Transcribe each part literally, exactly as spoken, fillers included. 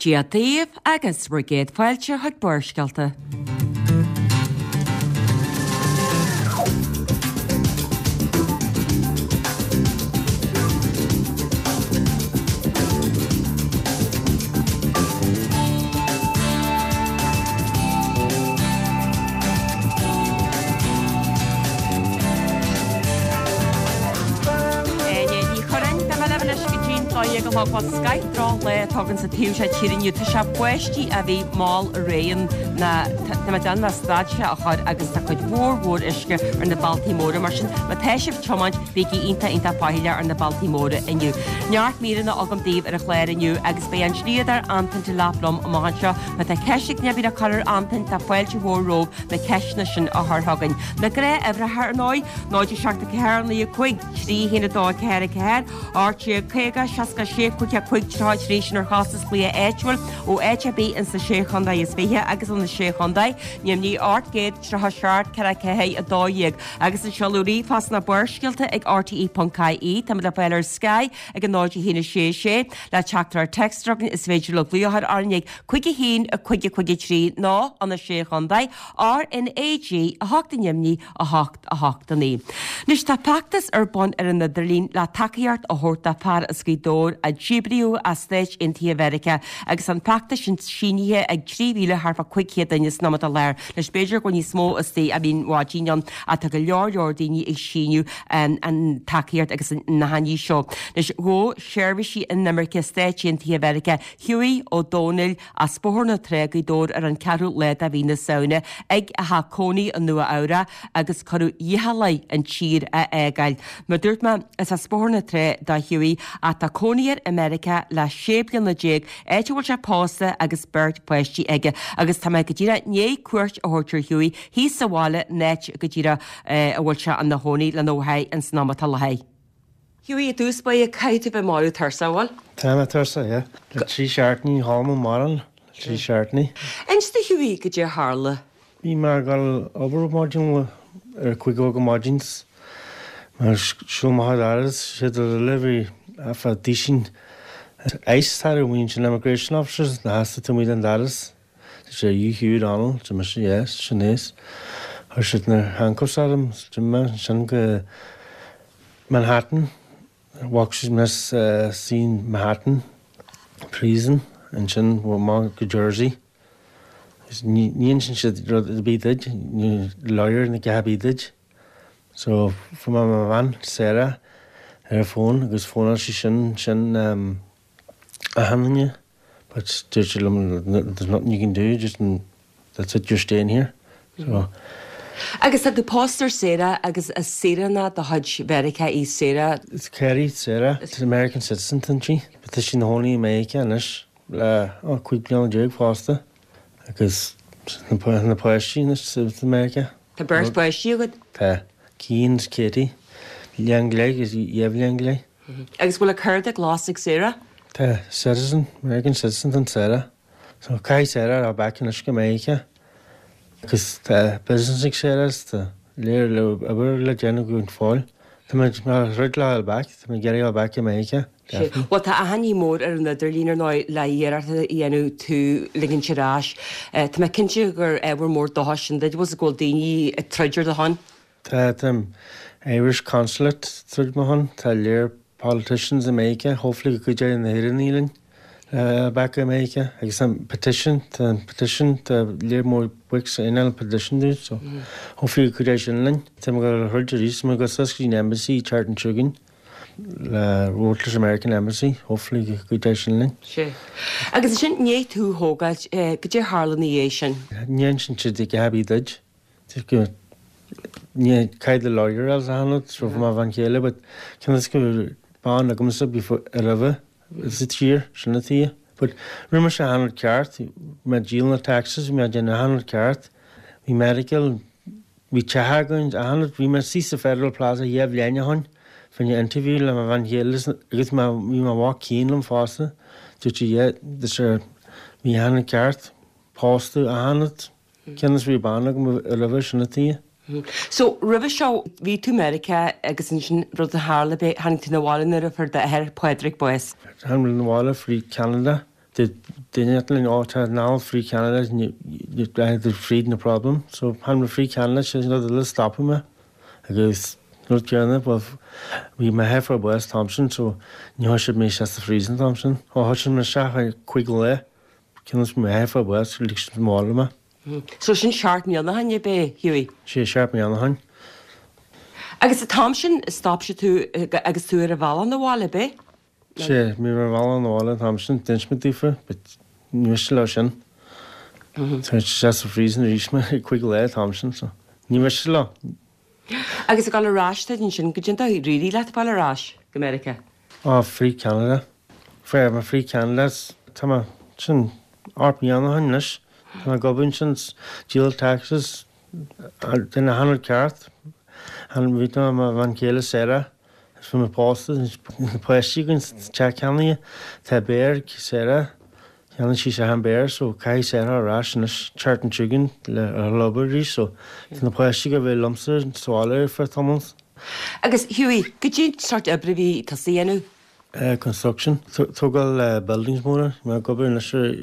Dia daoibh agus bhur gcéad fáilte chuig Barrscéalta. Áine Ní Churráin, Beidh mé libh anois go dtí'n dó dhéag a chlog. Bhuel, scoith drochlá atá againn sa taobh seo tíre inniu. Tá sé báistí a bhí mall aréir ná tá mé ag déanamh le stad sé a chur agus tá cuid mhór mhór uisce ar na bealtaí móra. Mar sin, má tá sibh ag tiomáint, bígí iontach iontach faichilleach ar na bealtaí móra inniu. Neart míreanna agam daoibh ar an chlár inniu agus beidh an dlíodóir Antain Delap liom amach anseo. Má tá ceist ag duine ar bith le cur ar Antain, tá fáilte mhór romhaibh na ceisteanna sin a chur chugainn. Na gnáthuimhreacha ar ndóigh, náid a seacht a ceathair naoi a cúig, trí haon a dó a ceathair a ceathair, ocht déag caoga, seasca sé, cúig a cúig, tríocha a trí, sin ar chostas glaoch áitiúil ó áit ar bith ins na Sé Chontae is Fiche agus ó na Sé Chontae, neamhní ocht gcéad tríocha seacht ceithre ceathair a dó dhéag. Agus an seoladh ríomhphost ná Barrscéalta ag R T E ponc I E. Táimid le fáil ar Sky ag a náid a haon a sé sé. Le teachtaireacht téacs a chugainn is féidir libh glaoch a chur orainn ag cúig a haon a cúig a cúig a trí nó ó na Sé Chontae R N A G a hocht a neamhní a hocht a hocht a naoi. Anois tá feachtas ar bun ar an idirlíon le tacaíocht a thabhairt do fear as Gaoth Dobhair a díbríodh as Stáit Aontaithe Mheiriceá agus an feachtas sin sínithe ag trí mhíle thart fá cúig chéad duine san am atá i láthair. Anois b'fhéidir go bhfuil níos mó istigh a bhíonn maidin ann ach tá go leor leor daoine ag síniú an tacaíocht agus na haithní seo. Anois ghabh seirbhísí inimirce Stáit Aontaithe Mheiriceá Hughie Ó Domhnaill as Bóthar na Trá Gaoth Dobhair ar an ceathrú lá de mhí na Samhna ag a theach cónaí i Nua Eabhrac agus cuireadh iachall air an tír a fhágáil. Mar dúirt mé is as Bóthar na Trá do Hughie ach tá cónaí air i Meiriceá le sé bliana déag áit a bhfuil sé pósta agus beirt pháistí aige agus tá mé go díreach i ndiaidh cuairt a thabhairt ar Hughie thíos sa bhaile in áit go díreach a bhfuil sé ina chónaí lena mháthair ins an am atá i láthair. Hughie, i dtús báire caithfidh tú bheith marbh tuirseach, bhfuil? Tá mé tuirseach, yeah. Le trí seachtainí chodlaim mórán le trí seachtainí. Inis do Hughie goidé a tharla. Bhí mé ag dul obair maidin ar cúig go maidin mar siúl amach an doras siad eile bhí afa dísin ICE tar bhíonn sin immigration officers na hasta tú muid an doras. Sé you Hugh O'Donnell, Tá mise yes, sin é. Chuir siad na handcuffs orm, mé sin go Manhattan. Walk siad mé sin Manhattan prison ansin amach go Jersey. Ní insíonn siad rud ar bith duit, ní lawyer na ceatha bith duit. So fuair mé mo bhean Sarah ar an phone agus fónáil sí sin sin um, achan duine. But dúirt sí liom there's nothing you can do, just that's it, you're staying here. So Agus tá tú pósta ar Sarah agus is saoránach de chuid Mheiriceá í Sarah. It's Kerry Sarah, it's an American citizen tá sí, but tá sí ina cónaí i Meiriceá anois le oh, cúig bliana déag fosta agus na na páistí anois sa America. Tá beirt pháistí agat? Tá Cian is Katie, bliain go leith agus dhá bhliain go leith. Agus bhfuil a cárta glas ag Sarah? Tá citizen, American citizen tá Sarah. So caithfidh Sarah a back anois go Meiriceá. Agus tá business ag Sarah tá léir le obair le déanamh go fóill. Tá mé mar rud le back, tá mé ag iarraidh back i Meiriceá. Well tá achainí mór ar an idirlíon ar ndóigh le iarracht a dhéanamh tú ligint ar ais. Tá mé cinnte gur ábhar mór dóchais sin duit bhfuil go bhfuil daoine ag troid ar do shon. Tá tá Irish Consulate troid mo shon, tá léir politicians i Meiriceá, hopefully go gcuideoidh na hÉireannaigh linn uh, back i Meiriceá agus an petition tá an petition tá léir mór books in an petition dú so mm. hopefully go gcuideoidh sin linn. Tá mé go throid arís mé go sas go embassy Charlton Chugainn le Rotless American Embassy, hopefully go gcuideoidh sin linn. Sé. Agus sin ní tú thógáil goidé a tharla ina dhiaidh sin. Ní sin siad ag happy duid. Ní caid le lawyer as a hanad so má bhan chéile, but can is go ban agamsa before roimhe sa tír sin na tí. But rinne sé achan rud ceart, mé díol na taxes, mé déanamh achan rud ceart, bhí medical, bhí teach againn achan rud, bhí mé sí sa Federal Plaza dhá bhliain ó shin, fá interview le mo bhean chéile agus má bhí mo mhac cinn liom fosta, dúirt sí yeah, this er bhí achan rud ceart, pósta achan rud, cionn is bhí bean agam roimhe sin na tí. So roimhe seo bhí tú Meiriceá agus ansin rud a tharla bé tháinig tú na bhaile nuair a fuair d'athair Pádraig bás. Tháinig na bhaile frí Canada, Duine linn á ná Free Canada fríd na problem, so han Free Canada sé le stop me agus rud céanna bhí mé fáil bás an t-am sin so ní chuir siad mé sa freezing an t-am sin. Ó chuir siad mé isteach cúig lá cinn mé fáil bás lig mála me. So sin seacht mbliana ó shin ab é Hughie? Sé seacht mbliana ó shin. Agus an t-am sin stop siad tú agus tú ar an bhealach na bhaile ab é? Sé mé ar bhealach na bhaile an t-am sin d'inis mé daofa, but ní miste leo sin. Tá sé sa freezing arís mé cúig lá an t-am sin so ní miste leo. Agus ag dul ar ais duit ansin goidé a d'éirigh leat fáil ar ais go Meiriceá? Á Free Canada. Free ma Free Canada tá mé sin ocht mbliana ó shin anois. Tá mé ag obair ansin díol taxes duine hanú ceart. Han bhí mo bhean chéile Sarah bhí mé pósta na páistí againn teach ceannaithe tá béar Sarah cheannaigh sí sé an béar so caithfidh Sarah ar ais anois seachtain chugainn le ar obair arís so tá na páistí go bhfuil liomsa sa bhaile ar feadh tamaill. Agus Hughie, goidé an sórt oibre a bhí tusa a dhéanamh? Uh, construction. Tógáil uh, buildings móra, mé ag obair anois ar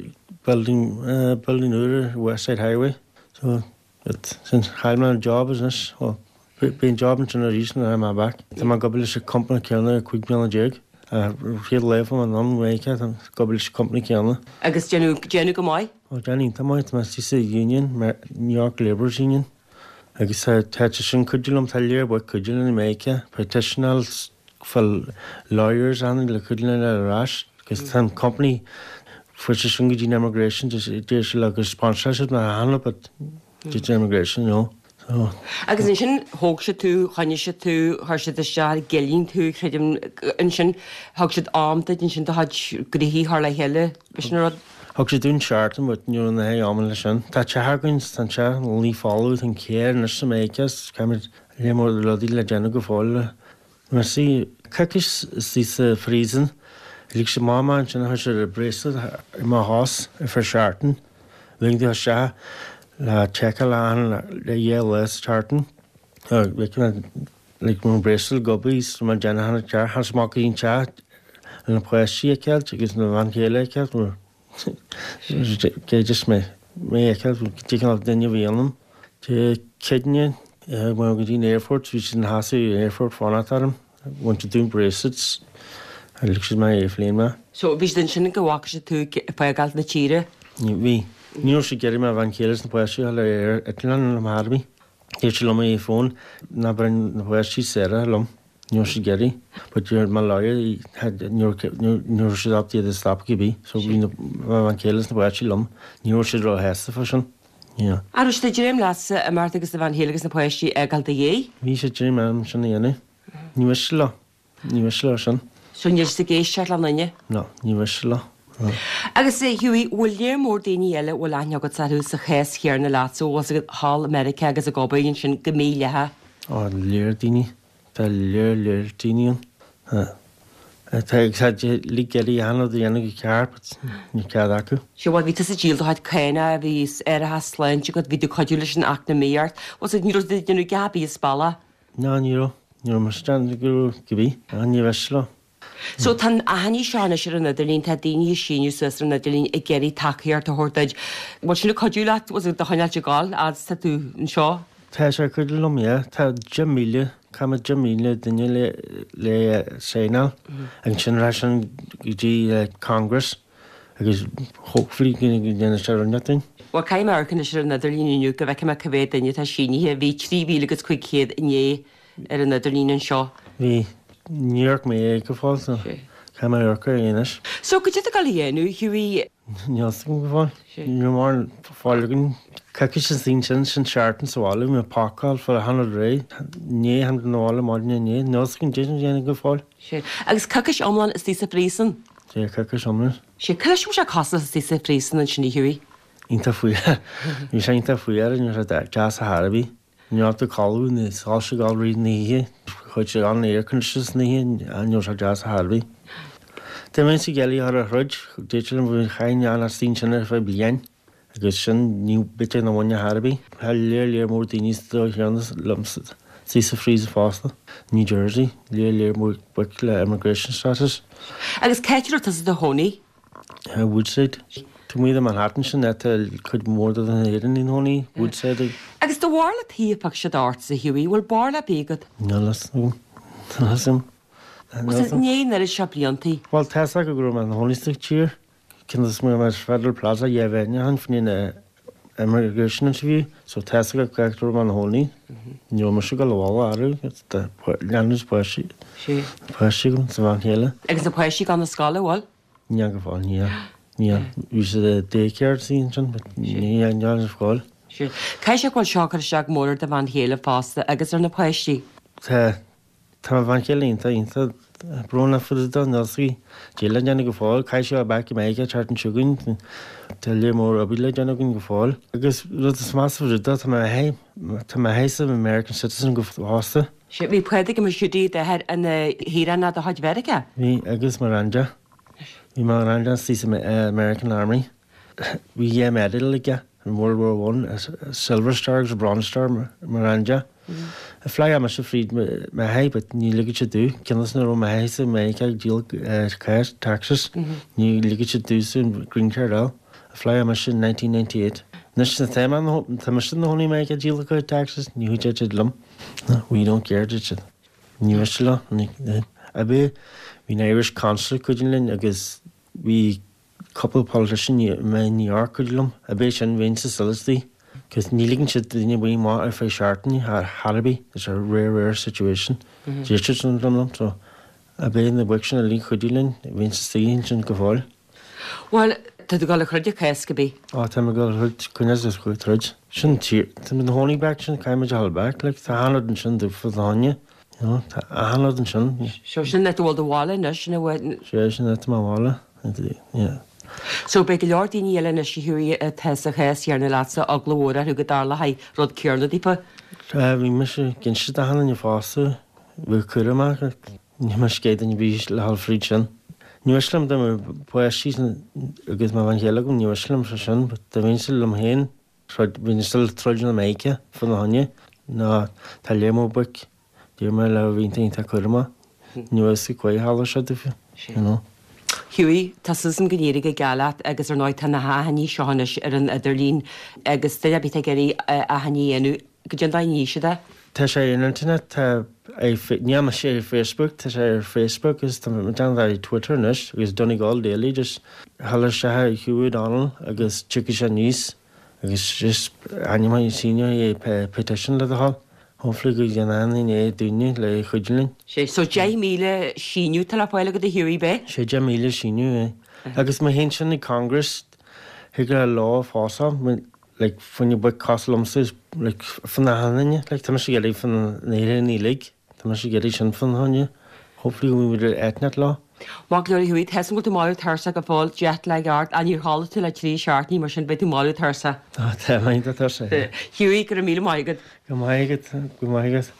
building uh, building úr West Side Highway. So it sin chaill mé an job anois well, bíonn job ansin arís nuair I'm back. Tá mé ag obair leis an company céanna cúig bliana déag. Chéad lá an an réice ag obair leis an company céanna. Agus déanamh déanamh go maith? Ó déanamh tá maith tá sí sa union New York Labourers Union. Agus tá sin cuidiú liom tá léir bu cuidiú in America, petitionals fuil lawyers an le cuidiú ar ais, agus tá an company fuair sé sin go dtí immigration deir sé le gur sponsor siad na hana but did immigration no. So Agus ansin thóg siad tú, choinnigh siad tú, chuir siad isteach i gcillín tú, creidim ansin thug siad am duit ansin do chuid gnoithí a chur le chéile, b'shin an rud. Thug siad dúinn seachtain but ní raibh na hé am leis sin. Tá teach againn tá teach ní folamh an céir anois sa Meiriceá caithfimid le mór rudaí le déanamh go fóill. Mar sí coicís sí sa freezing, lig sé máma ansin chuir siad bracelet i mo chos ar feadh seachtain. Lig tú isteach le seiceáil an le dhá lá sa tseachtain. Lig mo bracelet gobaí mar déanamh hana ceart tháinig amach go dtí an teach le na páistí a fheiceáil agus na bhean chéile a fheiceáil Cé just mé mé a fheiceáil cineál duine a bhí ionam. Dé Céadaoine mar go dtí an airport bhí siad ina sheasamh an airport fanacht orm, bhain siad dúinn bracelets a lig siad mé airplane mé. So bhí siad ansin go bhfaca siad tú ag fágáil na tíre? Bhí. Ní raibh siad ag iarraidh mo bhean chéile is na páistí a fháil ar eitleán liom ar bith. Dúirt siad liom ar fón ná bain na páistí Sarah liom. Ní raibh siad ag iarraidh. But dúirt my lawyer ní raibh siad ábalta iad a stop cibé. So bhí na bhean chéile is na páistí liom. Ní raibh siad róshásta fá sin. Yeah. An raibh siad ag dréim leatsa imeacht agus do bhean chéile agus na páistí a fhágáil i do dhiaidh? Bhí siad ag dréim orm sin a dhéanamh. Ní miste leo. Ní miste leo sin. So níl siad ag éisteacht le duine? No, ní miste leo. No. Agus Hughie, bhfuil léar mór daoine eile bhfuil aithne agat orthu sa chás chéanna leatsa, bhfuil siad thall i Meiriceá agus ag obair ansin go mídhleathach? Ó, léar daoine. Tá léar léar daoine ann. Tá ag lig iarraidh a dhéanamh do dhéanamh go ceart, but ní cead acu. Sea, bhuel, bhí tusa ag díol do chuid cánach, bhí árachas sláinte agat, bhí tú ag cuidiú leis an eacnamaíocht. Bhfuil siad, ní raibh siad ag déanamh a dhath ar bith as bealach? Ná, ní raibh. Ní raibh mise ag déanamh go raibh cibé. Ná, ní miste leo. So tá an achainí seo anois ar an idirlíon, tá daoine ag síniú suas ar an idirlíon ag iarraidh tacaíocht a thabhairt duit. Bhfuil sin ag cuidiú leat, bhfuil do choinneáil ag gabháil, fhad is tá tú anseo? Tá sé ag cuidiú liom, yeah. Tá deich míle, caithfidh deich míle duine le le signáil agus sin rachaidh sin go dtí Congress agus hopefully go ndéanfaidh sé rud dúinn. Bhuel, caithfidh mé amharc anois ar an idirlíon inniu go bhfeicfidh mé cá mhéad duine atá sínithe. Bhí trí mhíle agus cúig chéad inné ar an idirlíon anseo. Bhí. Ní amharc mé é go fóill so caithfidh mé amharc air anois. So goidé tá tú ag gabháil a dhéanamh, Hughie? Níl fhios agam go fóill. Ní raibh mórán fáil againn. Coicís is daoine sin sin seachtain sa bhaile, bhí mé ag pacáil for a hundred ré. Inné tháinig na bhaile maidin inné. Níl fhios agam goidé a dhéanamh go fóill. Sea. Agus coicís iomlán istigh sa phríosún? Sea, coicís iomlán. Sea. Cad leis a bhfuil sé cosúil istigh sa phríosún ansin, a Hughie? Iontach fuar. Bhí sé iontach fuar, ní raibh sé deas ar chor ar bith. Ní raibh tú codladh, ní soilse ag dul ríd na hoíche, chuaigh sé an air conditioners na hoíche, ní raibh sé deas ar chor ar bith. Dá mbeinnse ag iarraidh a chur ar throid, dúirt liom bhí chaith an as daoine sin ar feadh bliain agus sin ní b'fhéidir ina bhain ar chor ar bith. Tá léar léar mór daoine sa dóigh chéanna liom sa sa freezer fosta, New Jersey, léar léar mór boic le immigration status. Agus cá háit a raibh tusa i do chónaí? Woodside. Tá muid i Manhattan sin tá cuid mhór de na hÉireannaigh ina gcónaí, Woodside. Agus do bharúil cad a phioc siad ortsa, Hughie, bhfuil barúil ar bith agat? Níl a fhios agam. Níl a fhios agam. Agus i ndiaidh an oiread seo bliantaí? Bhuel, tá a fhios acu go raibh mé i mo chónaí sa tír. Cionn is go raibh mé ar Federal Plaza dhá bhliain ó shin fá choinne na immigration interview, so tá a fhios acu go raibh mé i mo chónaí. Ní raibh mise ag dul abhaile ariamh, tá leanbh is páistí, páistí agam sa bhean chéile. Agus na páistí ag dul na scoile, bhfuil? Níl go fóill, níl. Níl. Bhí siad i daycare ansin, but níl níl ar scoil. Caithfidh sé go bhfuil seo ag cur isteach go mór ar do bhean chéile fosta agus ar na páistí? Tá. Tá mo bhean chéile iontach, iontach brónach fá dtaobh de, níl a fhios aici cad é le déanamh go fóill. Caithfidh sí a bheith back i Meiriceá an tseachtain seo chugainn. Tá lear mór oibre le déanamh againn go fóill. Agus rud is measa fá dtaobh de, tá m'athair, tá m'athair American citizen go fosta. Sea, bhí Pádraig Ó Siúdaí, d'athair, ina shaoránach de chuid Mheiriceá? Bhí, agus mo ghrandia. Bhí mo ghrandia istigh sa American Army. Bhí dhá medal aige in World War One, a Silver Star agus a Bronze Star, mo ghrandia. Apply mise fríd m'athair but ní ligfeadh siad domh, cionn is nach raibh m'athair sa Meiriceá ag díol cash, taxes, ní ligfeadh siad domhsa an green card a fháil. Apply mise in nineteen ninety eight. Anois tá mé, tá mise i mo chónaí i Meiriceá ag díol taxes, ní chuideoidh siad liom. We don't care, deir siad. Ní miste leo. Ab é, bhí an Irish Consul ag cuidiú linn agus bhí cúpla politician i New York cuidiú liom. Ab é sin, bhínn sa Salisbury. Cos ní ligeann siad duine buí amach ar feadh seachtaine thar ar bith, it's a rare, rare situation. Deir siad sin liom, liom, so ab é na boic sin uilig a chuidigh linn, bhínn sa suí ansin go fóill. Bhuel, tá tú ag dul a throid an cás cibé. Á, tá mé ag dul a throid, coinneáil is ag troid. Sin tír, tá mé i mo chónaí back sin, caithfidh muid a dhul back, like, tá achan rud ansin dúfa do dhuine, you know, tá achan rud ansin. So sin áit a bhfuil do bhaile anois, sin a bhfuil. Sea, sin áit mo bhaile, yeah. So beidh go leor daoine eile anois a Hughie atá sa chás céanna leatsa, eagla mhór orthu go dtarlóidh rud céanna daofa. Sea, bhí mise ag inse d'achan duine fosta, bhí cúramach, ní miste céad duine a bhí le dhul fríd sin. Ní miste liom dá mbeadh páistí agus mo bhean chéile agam, ní miste liom sé sin, but dá mbeinnse liom féin, troid, bheinn still troid na Meiriceá fá na choinne, ná tá lear mór boic, deir mé le bhí iontach cúramach, ní bheadh a fhios ag tharla sé daofa, you know. Hughie, tá súil agam go n-éireoidh go geal leat agus ar ndóigh tá na hachainí seo anois ar an idirlíon agus duine ar bith atá ag iarraidh achainí a dhéanamh, goidé an dóigh a ndéanfaidh siad é? Tá sé ar an internet, tá ar, níl mise ar Facebook, tá sé ar Facebook agus tá mé déanamh ar Twitter anois agus Donegal Daily, just dhul isteach ar Hugh O'Donnell agus tiocfaidh sé aníos agus just ainm síneoidh é petition le do thoil. Hopefully go ndéanann aon duine daoine le cuidiú linn. Sé, so deich míle síniú atá le fáil agat a Hughie, ab é? Sé deich míle síniú é. Agus má théann sin ag Congress, thig le lá fás like fá choinne boic cosúil liomsa like fá achan duine, like tá mise ag iarraidh fá na hÉireannaigh uilig, tá mise ag iarraidh sin fá na choinne. Hopefully go mbeidh muid ar eitneacht lá. Maith go leor a Hughie, tá a fhios agam go bhfuil tú marbh tuirseach go fóill, jet lag ort, ach níor chodlaigh tú le trí seachtainí mar sin beidh tú marbh tuirseach. Á, tá mé iontach tuirseach, yeah. Hughie, go raibh míle maith agat. Go maith agat, go maith agat.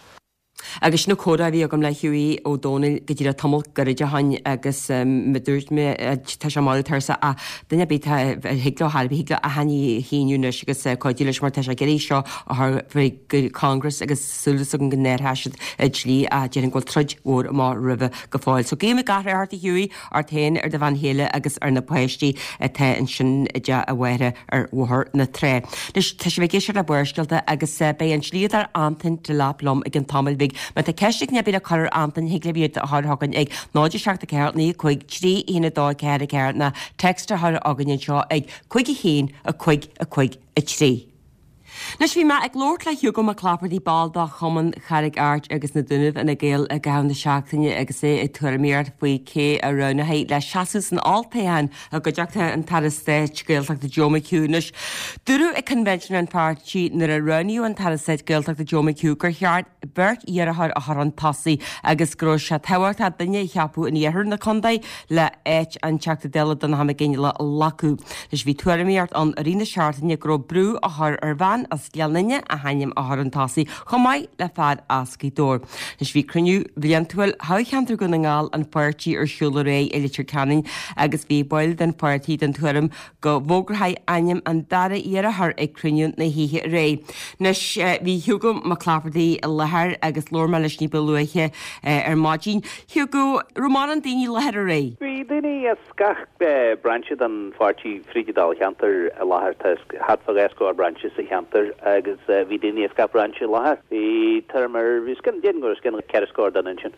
Agus sin an comhrá a bhí agam le Hughie Ó Dónaill go díreach tamall gairid ó shin agus mar a dúirt mé tá sé marbh tuirseach ach duine ar bith atá a thig leo thar a bith thig leo achainí a shíniú anois agus cuidiú leis mar tá sé ag iarraidh seo a chur faoi Congress agus súil agam go n-athróidh siad an dlí ach déarfainn go bhfuil troid mhór amach roimhe go fóill. So guím gach rath ort a Hughie, ort féin, ar do bhean chéile agus ar na páistí atá ansin i dteach a mháthara ar Bhóthar na Trá. Anois tá sibh ag éisteacht le Barrscéalta agus beidh an dlíodóir Antain Delap liom i gcionn tamaill bhig. Má tá ceist ag duine ar bith le cur ar Antain thig libh iad a chur chugainn ag náid a seacht a ceathair naoi a cúig trí a haon a dó a ceathair a ceathair nó text a chur chugainn anseo ag cúig a haon a cúig a cúig a trí. Anois bhí mé ag labhairt le Hugo Mac Laifeartaigh, ball de Chumann Charraig Airt agus na Dúnaibh Fhine Gael i gcaitheamh na seachtaine agus é ag tuairimíocht faoi cé a roghnófaí le seasamh san olltoghchán i gcuideachta an tAire Stáit Gaeltachta Joe McHugh. Anois, dúradh ag Convention an pháirtí nuair a roghnaíodh an tAire Stáit Gaeltachta Joe McHugh gur cheart beirt iarrthóir a chur chun tosaigh agus go raibh sé tábhachtach duine a cheapadh in iarthar na contae le áit an Teachta Dála Donnchadh Mac Fhionnghaile a ghlacadh. Anois bhí tuairimíocht ann i rith na seachtaine go raibh brú á chur ar bhean as Gleann Fhinne a hainm a chur chun tosaigh chomh maith le fear as Gaoth Dobhair. Anois bhí cruinniú bhliantúil thoghcheantar Dhún na nGall an pháirtí ar siúl aréir i Leitir Ceanainn agus bhí baill den pháirtí den tuairim go bhfógrófaí ainm an dara iarrthóir ag cruinniú na hoíche aréir. Anois bhí Hugo Mac Laifeartaigh i láthair agus labhair mé leis ní ba luaithe ar maidin. Hugo, raibh mórán daoine i láthair aréir? Bhí bhí daoine as gach brainse den pháirtí fríd an dáilcheantar i láthair tá thart fá dhá scór brainse sa cheantar agus bhí daoine as gach brainse i láthair. Bhí tuairim ar bhí os cionn déarfainn go raibh os cionn ceithre scór duine ansin.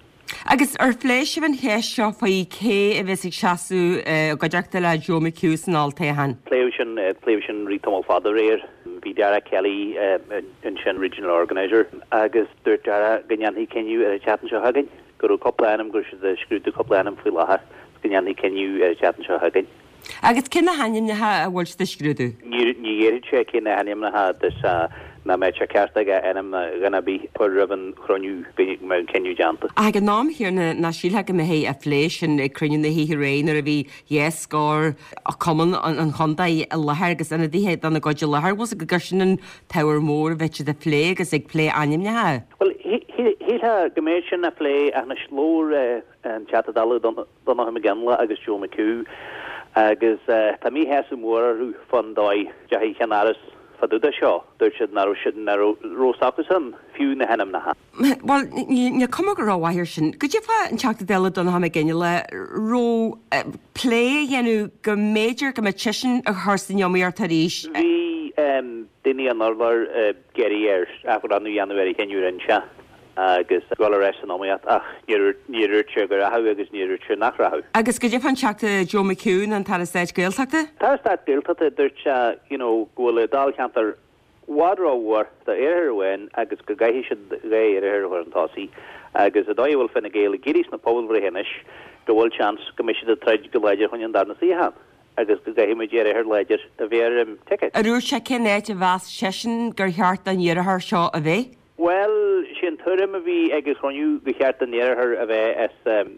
Agus ar phléigh sibh an cheist seo faoi cé a bheas ag seasamh i gcuideachta le Joe McHugh san olltoghchán? Pléadh sin pléadh sin rith tamall fada aréir. Bhí Dara Kelly ansin regional organiser agus dúirt Dara go ndéanfaí cinneadh ar an tseachtain seo chugainn, go raibh cúpla ainm, go raibh siad ag scrúdú cúpla ainm faoi láthair, go ndéanfaí cinneadh ar an tseachtain seo chugainn. Agus cé na hainmneacha a bhfuil siad ag scrúdú? Ní ní dhéarfaidh sé cé na hainmneacha agus nach mbeadh sé ceart aige ainm dhuine ar bith a chur roimh an chruinniú go mbeadh an cinneadh déanta. Ach ag an am chéanna nach sílfeá go mbeifí ag plé sin ag cruinniú na hoíche aréir nuair a bhí dhá scór cumann an chontae i láthair agus ionadaithe dona gcuid i láthair, bhfuil 's agat gur sin an t-ábhar mór a bheadh siad ag plé agus ag plé ainmneacha. Bhuel, shílfeá go mbeadh sin á phlé ach anois labhair an Teachta Dála Donnchadh Mac Fhionnghaile agus Joe McHugh agus tá míshásamh mór orthu fán dóigh a ndeachaigh an Ceann Áras fá dtaobh de seo. Dúirt siad nach raibh siad nach raibh s'acusan fiú na hainmneacha. Bhuel, níl cuma go rómhaith air sin. Goidé fá an Teachta Dála Donnchadh Mac Fhionnghaile raibh plé a dhéanamh go mb'fhéidir go mbeadh seisean a chur san iomaíocht arís? Bhí daoine an urláir ag iarraidh air athbhreithniú a dhéanamh ar an chinneadh a rinne sé agus dul ar ais san iomaíocht ach níor níor dhúirt sé go rachadh agus níor dhúirt sé nach rachadh. Agus goidé fán Teachta Joe McHugh an tAire Stáit Gaeltachta? TAire Stáit Gaeltachta dúirt sé you know go bhfuil an dáilcheantar i bhfad rómhór d'iarrthóir amháin agus go gcaithfidh siad dhá iarrthóir a chur chun tosaigh agus an dóigh a bhfuil Fine Gael ag éirí sna pobalbhreithe anois go bhfuil seans go mbeidh siad ag troid go láidir chun an darna suíochán agus go gcaithfidh muid iarrthóir láidir a bheith ar an ticket. Ar dhúirt sé cén áit a mheas seisean gur cheart don iarrthóir seo a bheith? Bhuel, sé an tuairim a bhí ag an chruinniú go cheart don iarrthóir a bheith as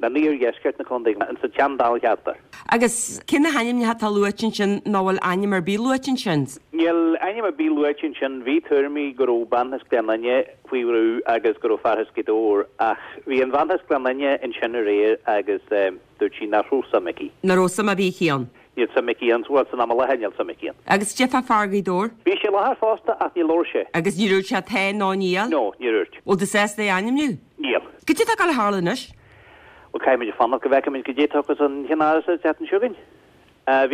an iardheisceart na contae, sa tsean-dáilcheantar. Agus cé na hainmneacha atá luaite ansin nó bhfuil ainm ar bith luaite ansin? Níl ainm ar bith luaite ansin. Bhí tuairimí go raibh bean as Gleann Fhinne faoi bhrú agus go raibh fear as Gaoth Dobhair ach bhí an bhean as Gleann Fhinne ansin aréir agus dúirt sí nach raibh suim aici. Nach raibh suim ar bith aici ann? Níl suim aici ann, bhuel, san am i láthair níl suim aici ann. Agus goidé fá fear Ghaoth Dobhair? Bhí sé i láthair fosta ach níor labhair sé. Agus níor dhúirt sé tá nó níl? No, níor dhúirt. Bhfuil tú sásta é a ainmniú? Níl. Goidé atá ag gabháil a tharlú anois? Bhuel, caithfimid fanacht go bhfeicfimid goidé a thiocfas an Cheann Áras an tseachtain seo chugainn.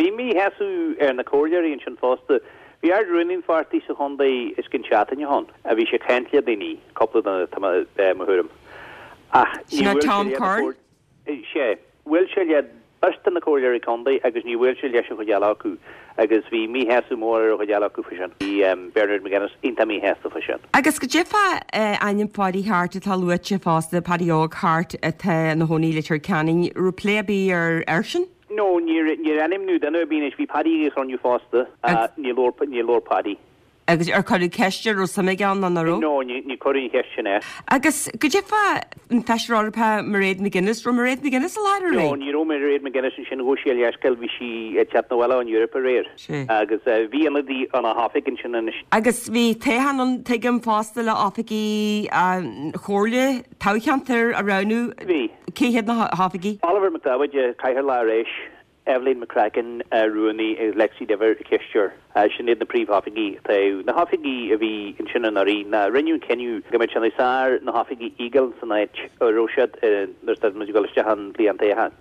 Bhí míshásamh ar na comhairleoirí ansin fosta. Bhí Ard-Rúnaí an pháirtí sa chontae os cionn seachtaine ó shin. Bhí sé ag caint le daoine, cúpla duine, tá mo thuairim. Ach ní bhfuil sé le na Sea. Bhuail sé le beirt de na comhairleoirí contae agus ní bhuail sé leis an chuid eile acu agus bhí míshásamh mór ar an chuid eile acu faoi sin. Bhí Bernard McGuinness iontach míshásta faoi sin. Agus goidé fá ainm Pháidí Harte atá luaite fosta, Paddy Óg Harte atá ina chónaí i Leitir Ceanainn, raibh plé ar bith ar airsean? No, níor níor ainmniú duine ar bith anois. Bhí Paddy ag an chruinniú fosta. Níor labhair níor labhair Paddy. Agus ar cuireadh ceist air, raibh suim aige ann nó nach raibh? No, ní, ní cuireadh an cheist sin air. Agus goidé fá an Feisire Eorpach Mairéad McGuinness, raibh Mairéad McGuinness i láthair aréir? No, ní raibh Mairéad McGuinness ansin, ghabh sí a leithscéal, bhí sí ag teacht 'na bhaile ón Eoraip aréir. Sea. Agus bhí ionadaí óna hoifig ansin anois. Agus bhí toghchán ann, tuigim, fosta le oifigigh an Chomhairle toghcheantair a roghnú. Bhí. Cé hiad na hoifigigh? Oliver McDevitt, Cathaoirleach ar ais. Eibhlín McCracken, Rúnaí, agus Lexi Diver, Cisteoir. Sin iad na príomhoifigigh atá. Na hoifigigh a bhí ansin anuraidh, ná rinneadh an cinneadh go mbeadh sé níos fearr na hoifigigh a fhágáil san áit a raibh siad nuair a muid ag dul isteach an bhliain toghcháin.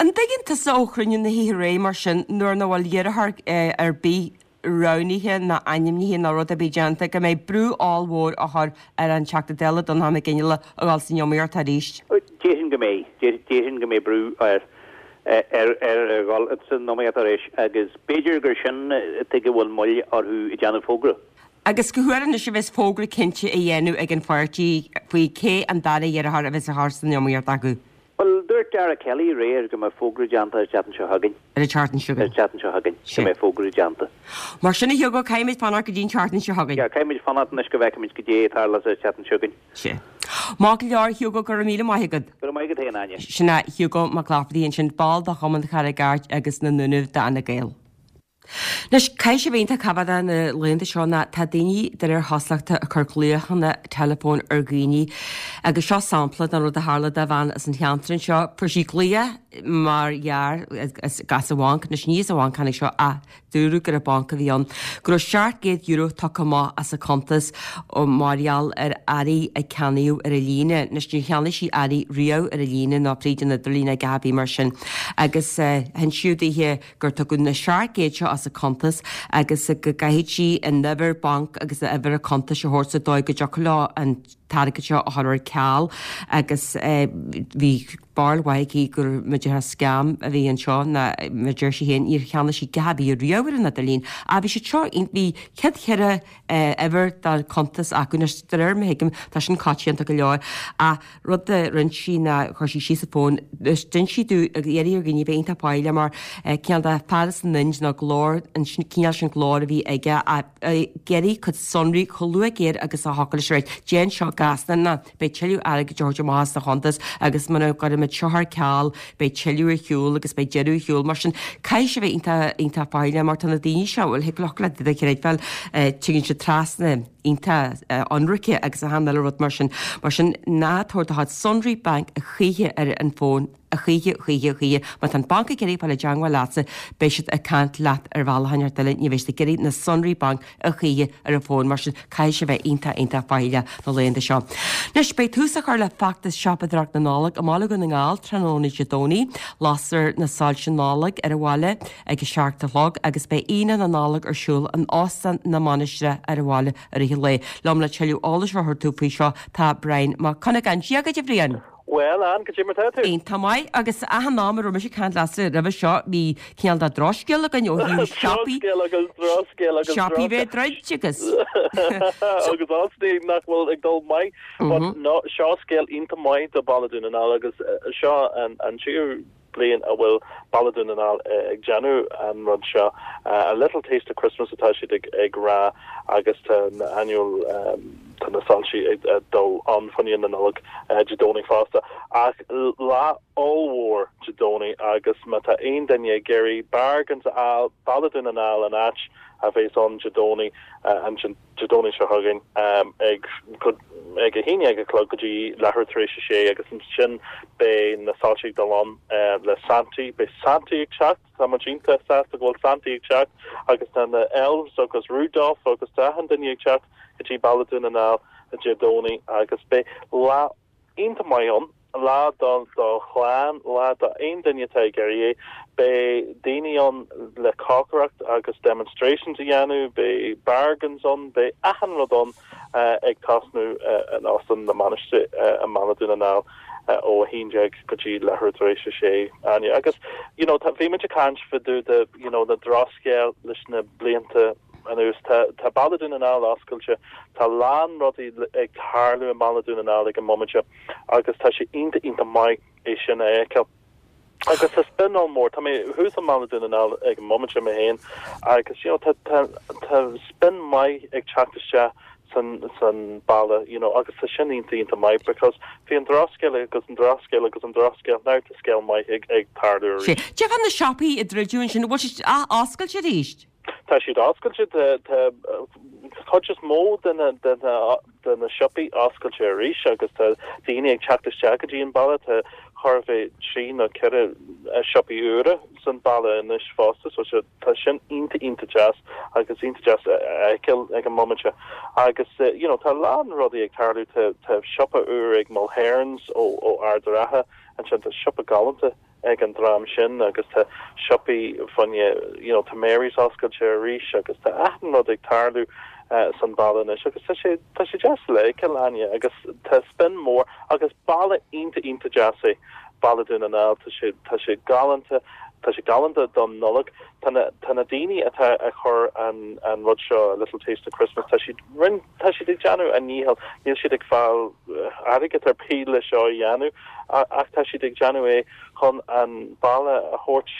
An dtuigeann tusa ó chruinniú na hoíche aréir mar sin nuair nach bhfuil iarrthóir ar bith roghnaithe ná ainmnithe ná rud ar bith déanta, go mbeidh brú ollmhór á chur ar an Teachta Dála Donnchadh Mac Fhionnghaile a dhul san iomaíocht arís? Déarfainn go mbeidh. Déarfainn go mbeidh brú air ar a dhul san iomaíocht arís agus b'fhéidir gur sin tuige a bhfuil moill orthu ag déanamh fógra. Agus cá huair anois a bheas fógra cinnte á dhéanamh ag an pháirtí faoi cé an dara iarrthóir a bheas á chur san iomaíocht acu? Bhuel, dúirt Dara Kelly aréir go mbeidh fógra déanta ar an tseachtain seo chugainn. Ar an tseachtain seo chugainn. Ar an tseachtain seo chugainn go mbeidh fógra déanta. Mar sin a Hugo, caithfimid fanacht go dtí an tseachtain seo chugainn. Yeah, caithfimid fanacht anois go bhfeicfimid goidé a tharlós ar an tseachtain seo chugainn. Sea. Maith go leor, Hugo, go raibh míle maith agat. Go raibh maith agat féin, Áine. Sin é Hugo Mac Laifeartaigh ansin, ball de Chumann Charraig Airt agus na nDúnaibh d'Fhine Gael. Anois, caithfidh sé a bheith iontach tábhachtach na laethanta seo ná tá daoine de réir chosúlachta ag cur glaochanna teileafóin ar dhaoine agus seo sampla den rud a tharla do bhean as an cheantar anseo. Fuair sí glaoch mar dhea as an bhanc, anois ní as an bhanc tháinig seo ach dúradh gur an banc a bhí ann, go raibh seacht gcéad euro tugtha amach as a cuntas mar gheall ar earraí a ceannaíodh ar an líne. Anois níor cheannaigh sí earraí riamh ar an líne ná fríd an idirlíon ná a dhath ar bith mar sin. Agus hinsíodh daoithe gur tugadh na seacht gcéad seo as a cuntas agus go gcaithfidh sí an uimhir banc agus a uimhir a cuntais a thabhairt sa dóigh go dtiocfadh leo an t-airgead seo a chur ar ceal agus bhí barúil mhaith aici gur b'fhéidir scam a bhí anseo ná mar deir sí féin níor cheannaigh sí a dhath ar bith riamh ar an idirlíon. Ach bhí siad seo bhí céad cheithre uimhir dá cuntas acu anois de réir mar a thuigim tá sin coitianta go leor ach rud a rinne sí ná chuir sí síos an fón d'inis sí domh ag iarraidh ar dhaoine bheith iontach faichilleach mar cineál de fear as an Ind nó glór an cineál sin glór a bhí aige ag iarraidh cuid sonraí chomh luath géar agus a thiocfadh leis a rá déan seo gasta ná beidh tuilleadh airgid á thabhairt amach as do chuntas agus muna gcuirimid seo ar ceal beidh tuilleadh ar shiúl agus beidh deireadh ar shiúl mar sin caithfidh sé bheith iontach iontach faichilleach mar tá na daoine seo bhuel thig leo le do chreidbheáil tigeann siad trasna iontach ionraice agus achan uile rud mar sin mar sin ná tabhair do chuid sonraí bainc a choíche ar an bhfón a choíche choíche choíche má tá an banc ag iarraidh fáil i dteangmháil leatsa beidh siad ag caint leat ar bhealach inteacht eile ní bheidh siad ag iarraidh na sonraí bainc a choíche ar an bhfón mar sin caithfidh sé bheith iontach iontach faichilleach na laethanta seo. Anois beidh tús á chur le feachtas siopadóireacht na Nollag i mBaile Dhún na nGall tráthnóna Dé Domhnaigh, lasfar na soilse Nollag ar an bhaile ag a seacht a chlog agus beidh Aoine na Nollag ar siúl in Óstán na Mainistreach ar an bhaile i rith an lae. Liom le tuilleadh eolais a thabhairt faoi seo tá Brian Mac Cuinneagáin. Dia dhuit a Bhriain! Bhuel, Ann, cad é mar tá tú? Iontach maith, agus achan am a raibh mise ag caint leatsa roimhe seo, bhí cineál de drochscéal againn ó thaobh siopaí. Drochscéal agus drochscéal agus Siopaí bheith druidte agus. Agus osnaí nach bhfuil ag dul maith. But no, seo scéal iontach maith do Baile Dhún na nGall agus seo an an tríú bliain a bhfuil Baile Dhún na nGall ag déanamh an rud seo. A little taste of Christmas atá siad ag ag rá agus tá na annual um, tá na soilsí ag dul ann fá choinne na Nollag Dé Domhnaigh fosta. Ach lá ollmhór Dé Domhnaigh agus má tá aon duine ag iarraidh bargains a fháil Baile Dhún na nGall an áit a bheas ann Dé Domhnaigh an Dé Domhnaigh seo chugainn ag ag a haon déag a chlog go dtí leathuair tar éis a sé agus ansin beidh na soilsí ag dul ann le Santaí beidh Santaí ag teacht tá muid iontach sásta go bhfuil Santaí ag teacht agus tá na elves agus Rudolph agus tá achan duine ag teacht go dtí Baile Dhún na nGall Dé Domhnaigh agus beidh lá iontach maith ann lá do do chlann lá do aon duine atá ag iarraidh é beidh daoine ann le cócaireacht agus demonstrations a dhéanamh beidh bargains ann beidh achan rud ann uh, ag tosnú uh, in Óstán na Mainistreach uh, i mBaile Dhún na nGall uh, ó a haon déag go dtí leathuair tar éis a sé Áine agus you know tá bhí muid ag caint fá dtaobh de you know na drochscéal leis na blianta anuas tá tá Baile Dhún na nGall oscailte tá lán rudaí ag tarlú i mBaile Dhún na nGall ag an móimint agus tá sé iontach iontach maith é sin a fheiceáil. Agus tá spin mór Tá mé thuas i mBaile Dhún na nGall ag an móimint mé féin agus you know, tá tá tá spin maith ag teacht isteach san san baile you know, agus tá sin iontach iontach maith because bhí an drochscéal agus an drochscéal agus an drochscéal now tá scéal maith ag ag tarlú Sé, Cad fá na siopaí a druideadh ansin bhfuil siad oscailte arís? Tá siad oscailte chuid is mó de na de na de na siopaí oscailte arís agus tá daoine ag teacht isteach go dtí an baile tá chóir a bheith trí nó ceithre siopaí úra san baile anois fosta so sé tá sin iontach iontach deas agus iontach deas a fheiceáil ag an móimint agus uh, you know tá lán rudaí ag tarlú tá tá siopa úr ag Mulherns ó ó Ard an Rátha ansin tá siopa galánta ag an dream sin agus tá siopaí fanne you know tá Mary's oscailte arís agus tá achan rud ag tarlú uh, san baile anois agus tá sé tá sé deas le Áine agus tá spin mór agus baile iontach iontach deas é Baile Dhún na nGall tá sé tá sé galánta tá sé galánta don Nollag tá na tá na daoine atá a chur an an rud seo a little taste of Christmas tá siad rin tá siad ag déanamh a ndícheall níl siad ag fáil airgead ar bith le seo a dhéanamh ach tá siad ag déanamh é chun an baile a thabhairt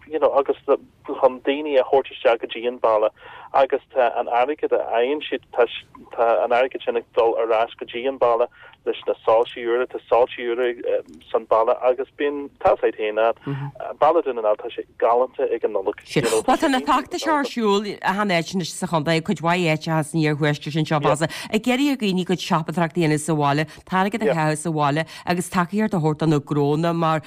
you know agus chun daoine a thabhairt isteach go dtí an baile agus tá an airgead a fhaigheann siad tá tá an airgead sin ag dul ar ais go dtí an baile leis na soilsí úra tá soilsí úra san baile agus bíonn tá sé féin Baile Dhún na nGall tá sé galánta ag an Nollag. Well tá na feachtais ar siúl achan áit anois sa chontae cuid mhaith áiteacha san iarthuaisceart sin seo fosta. Ag iarraidh ar dhaoine cuid siopadóireacht a dhéanamh sa bhaile, airgead a chaitheamh sa bhaile agus tacaíocht a a thabhairt do na gnónna mar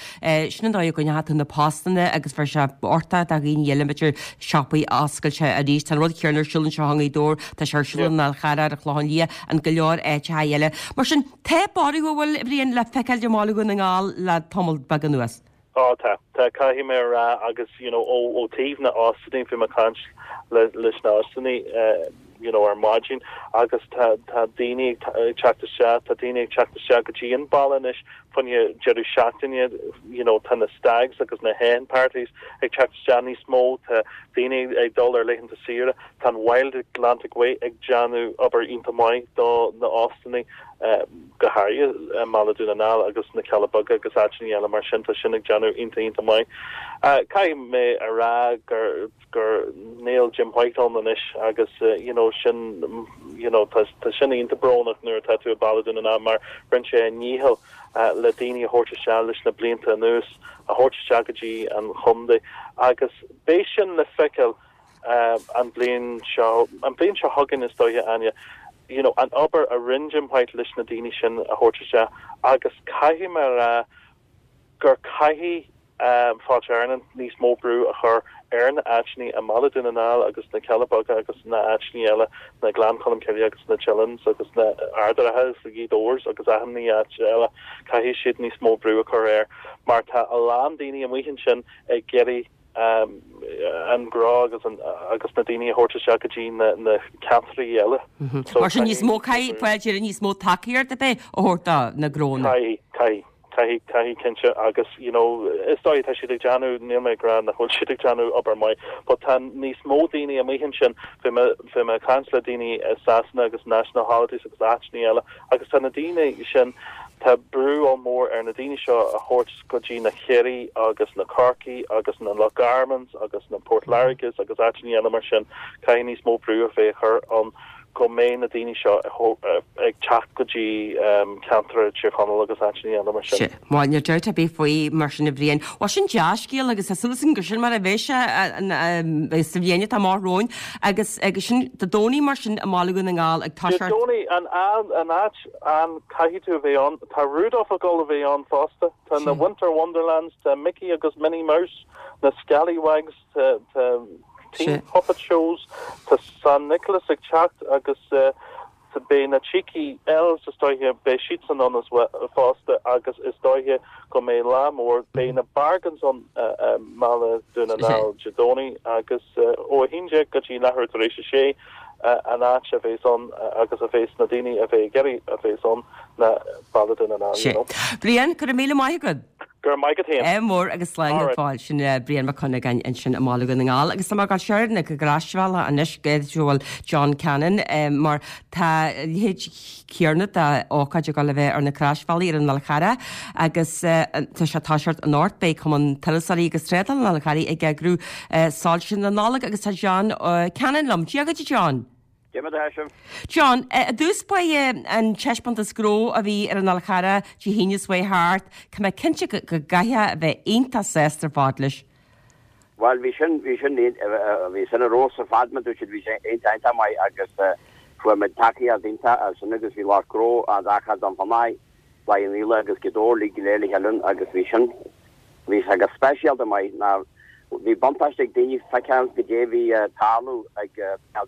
sin an dóigh a gcoinneoidh tú na postanna agus bheadh sé orthu do dhaoine eile b'fhéidir siopaí a oscailt arís. Tá an rud céanna ar siúl anseo i nGaoth Dobhair, tá sé ar siúl i nDál Chearra, ar an Chlochán Liath, and go leor áiteacha eile. Mar sin, tá borradh an bhfuil, a Bhriain, le feiceáil i mBaile Dhún na nGall le tamall beag anuas. Á tá, tá caithfidh mé a rá agus you know ó ó taobh na óstáin bhí mé ag caint le leis na óstáin uh, you know ar maidin agus tá tá daoine ag teacht isteach tá daoine ag teacht isteach go dtí an baile anois fá choinne deireadh seachtaine you know tá na stags agus na hen parties ag teacht isteach níos mó tá daoine ag dul ar laethanta saoire tá an Wild Atlantic Way ag déanamh obair iontach maith do na óstáin uh, go háirithe i mBaile Dhún na nGall agus na Cealla Beaga agus áiteanna eile mar sin tá sin ag déanamh iontach iontach maith. Uh, Caithfidh mé a rá gur gur níl Jim White ann anois agus uh, you know sin you know tá tá sin iontach brónach nuair atá tú i Baile Dhún na nGall mar rinne sé a dhícheall uh, le daoine a thabhairt isteach leis na blianta anuas a thabhairt isteach go dtí an chontae agus beidh sin le feiceáil uh, an bliain seo an bliain seo chugainn is dóiche Áine you know an obair a rinne Jim White leis na daoine sin a thabhairt isteach agus caithfidh mé a rá gur caithfidh um, Fáilte Éireann níos mó brú a chur ar na áiteanna i mBaile Dhún na nGall agus na Cealla Beaga agus na áiteanna eile na Gleann Cholm Cille agus na Teillims agus na Ard an Rátha agus Gaoth Dobhair agus achan áit eile caithfidh siad níos mó brú a chur air mar tá a lán daoine amuigh ansin ag iarraidh um, an gnó agus an, agus na daoine a thabhairt isteach go dtí na, na ceantraí eile. So Mar sin níos mó caithfidh Fáilte níos mó tacaíocht a bheith a thabhairt do na gnónna. Caithfidh caithfidh caithfidh caithfidh cinnte agus you know is dóigh tá siad ag déanamh níl mé ag rá nach bhfuil siad ag déanamh obair maith, but tá níos mó daoine amuigh ansin bhí mé bhí mé ag caint le daoine i Sasana agus National Holidays agus áiteanna eile agus tá na daoine sin tá brú mór ar na daoine seo a thabhairt go dtí na Ciarraí agus na Corcaigh agus na Loch Garmans agus na Port Láirges agus áiteanna eile mar sin caithfidh níos mó brú a bheith chur an go mbeidh na daoine seo ag teacht go dtí um, ceantar Tír Chonaill agus áiteanna eile mar sin. Má níl dabht ar bith faoi mar sin a Bhriain. Wa sin dea-scéal agus tá súil gur sin mar a bheidh sé sa bhliain atá amach romhainn agus agus sin Dé Domhnaigh mar sin i mBaile Dhún na nGall ag Dé Domhnaigh an an áit an caithfidh tú a bheith ann tá Rudolph ag dul a bheith ann fosta tá na Winter Wonderlands tá Mickey agus Minnie Mouse na Scallywags tá tá teen puppet shows tá San Nicholas ag teacht agus uh, tá beidh na cheeky elves is dóiche beidh siad san ann fosta agus is dóiche go mbeidh lá mór beidh na bargains ann uh, uh, Mbaile Dhún na nGall Dé Domhnaigh agus uh, ó a haon déag go dtí leathuair tar éis a sé uh, an áit a bheas ann uh, agus a bheas na daoine a bheidh ag iarraidh a bheas ann ná Baile Dhún na nGall. You know. Brian go raibh míle maith agat. Gur maith agat. É mór agus slán Alright. fáil sin Brian Mac Cunnagain ansin i mBaile Dhún na nGall agus tá mar seir na go gráisbheala anois bhfuil John Cannon eh, mar tá leithéid céanna d'ócáid ag dul a bheith ar na Croisbhealaí ar an Fhál Carrach agus eh, tá sé táseart an North Bay Cumann Turasóirí agus Trádála an Fháil Charraigh ag eagrú eh, soilse na Nollag agus tá John uh, Cannon liom. Dia duit John. Cé John, i dtús ba an taispeántas gnó a bhí ar an Fhál Carrach Dé hAoine seo thart, Tá mé cinnte go gcaithfidh a bheith iontach sásta ar fad leis. Well bhí sin bhí sin bhí sin rós a fad du siad bhí sé iontach maith agus fuair muid tacaíocht iontach sin agus bhí lá gro a dachcha an famáid le an íle agus godó lí go léile helan agus bhí sin bhí agus speisialta maith ná bhí buntáiste ag daoine feiceáil go dé bhí tarlú ag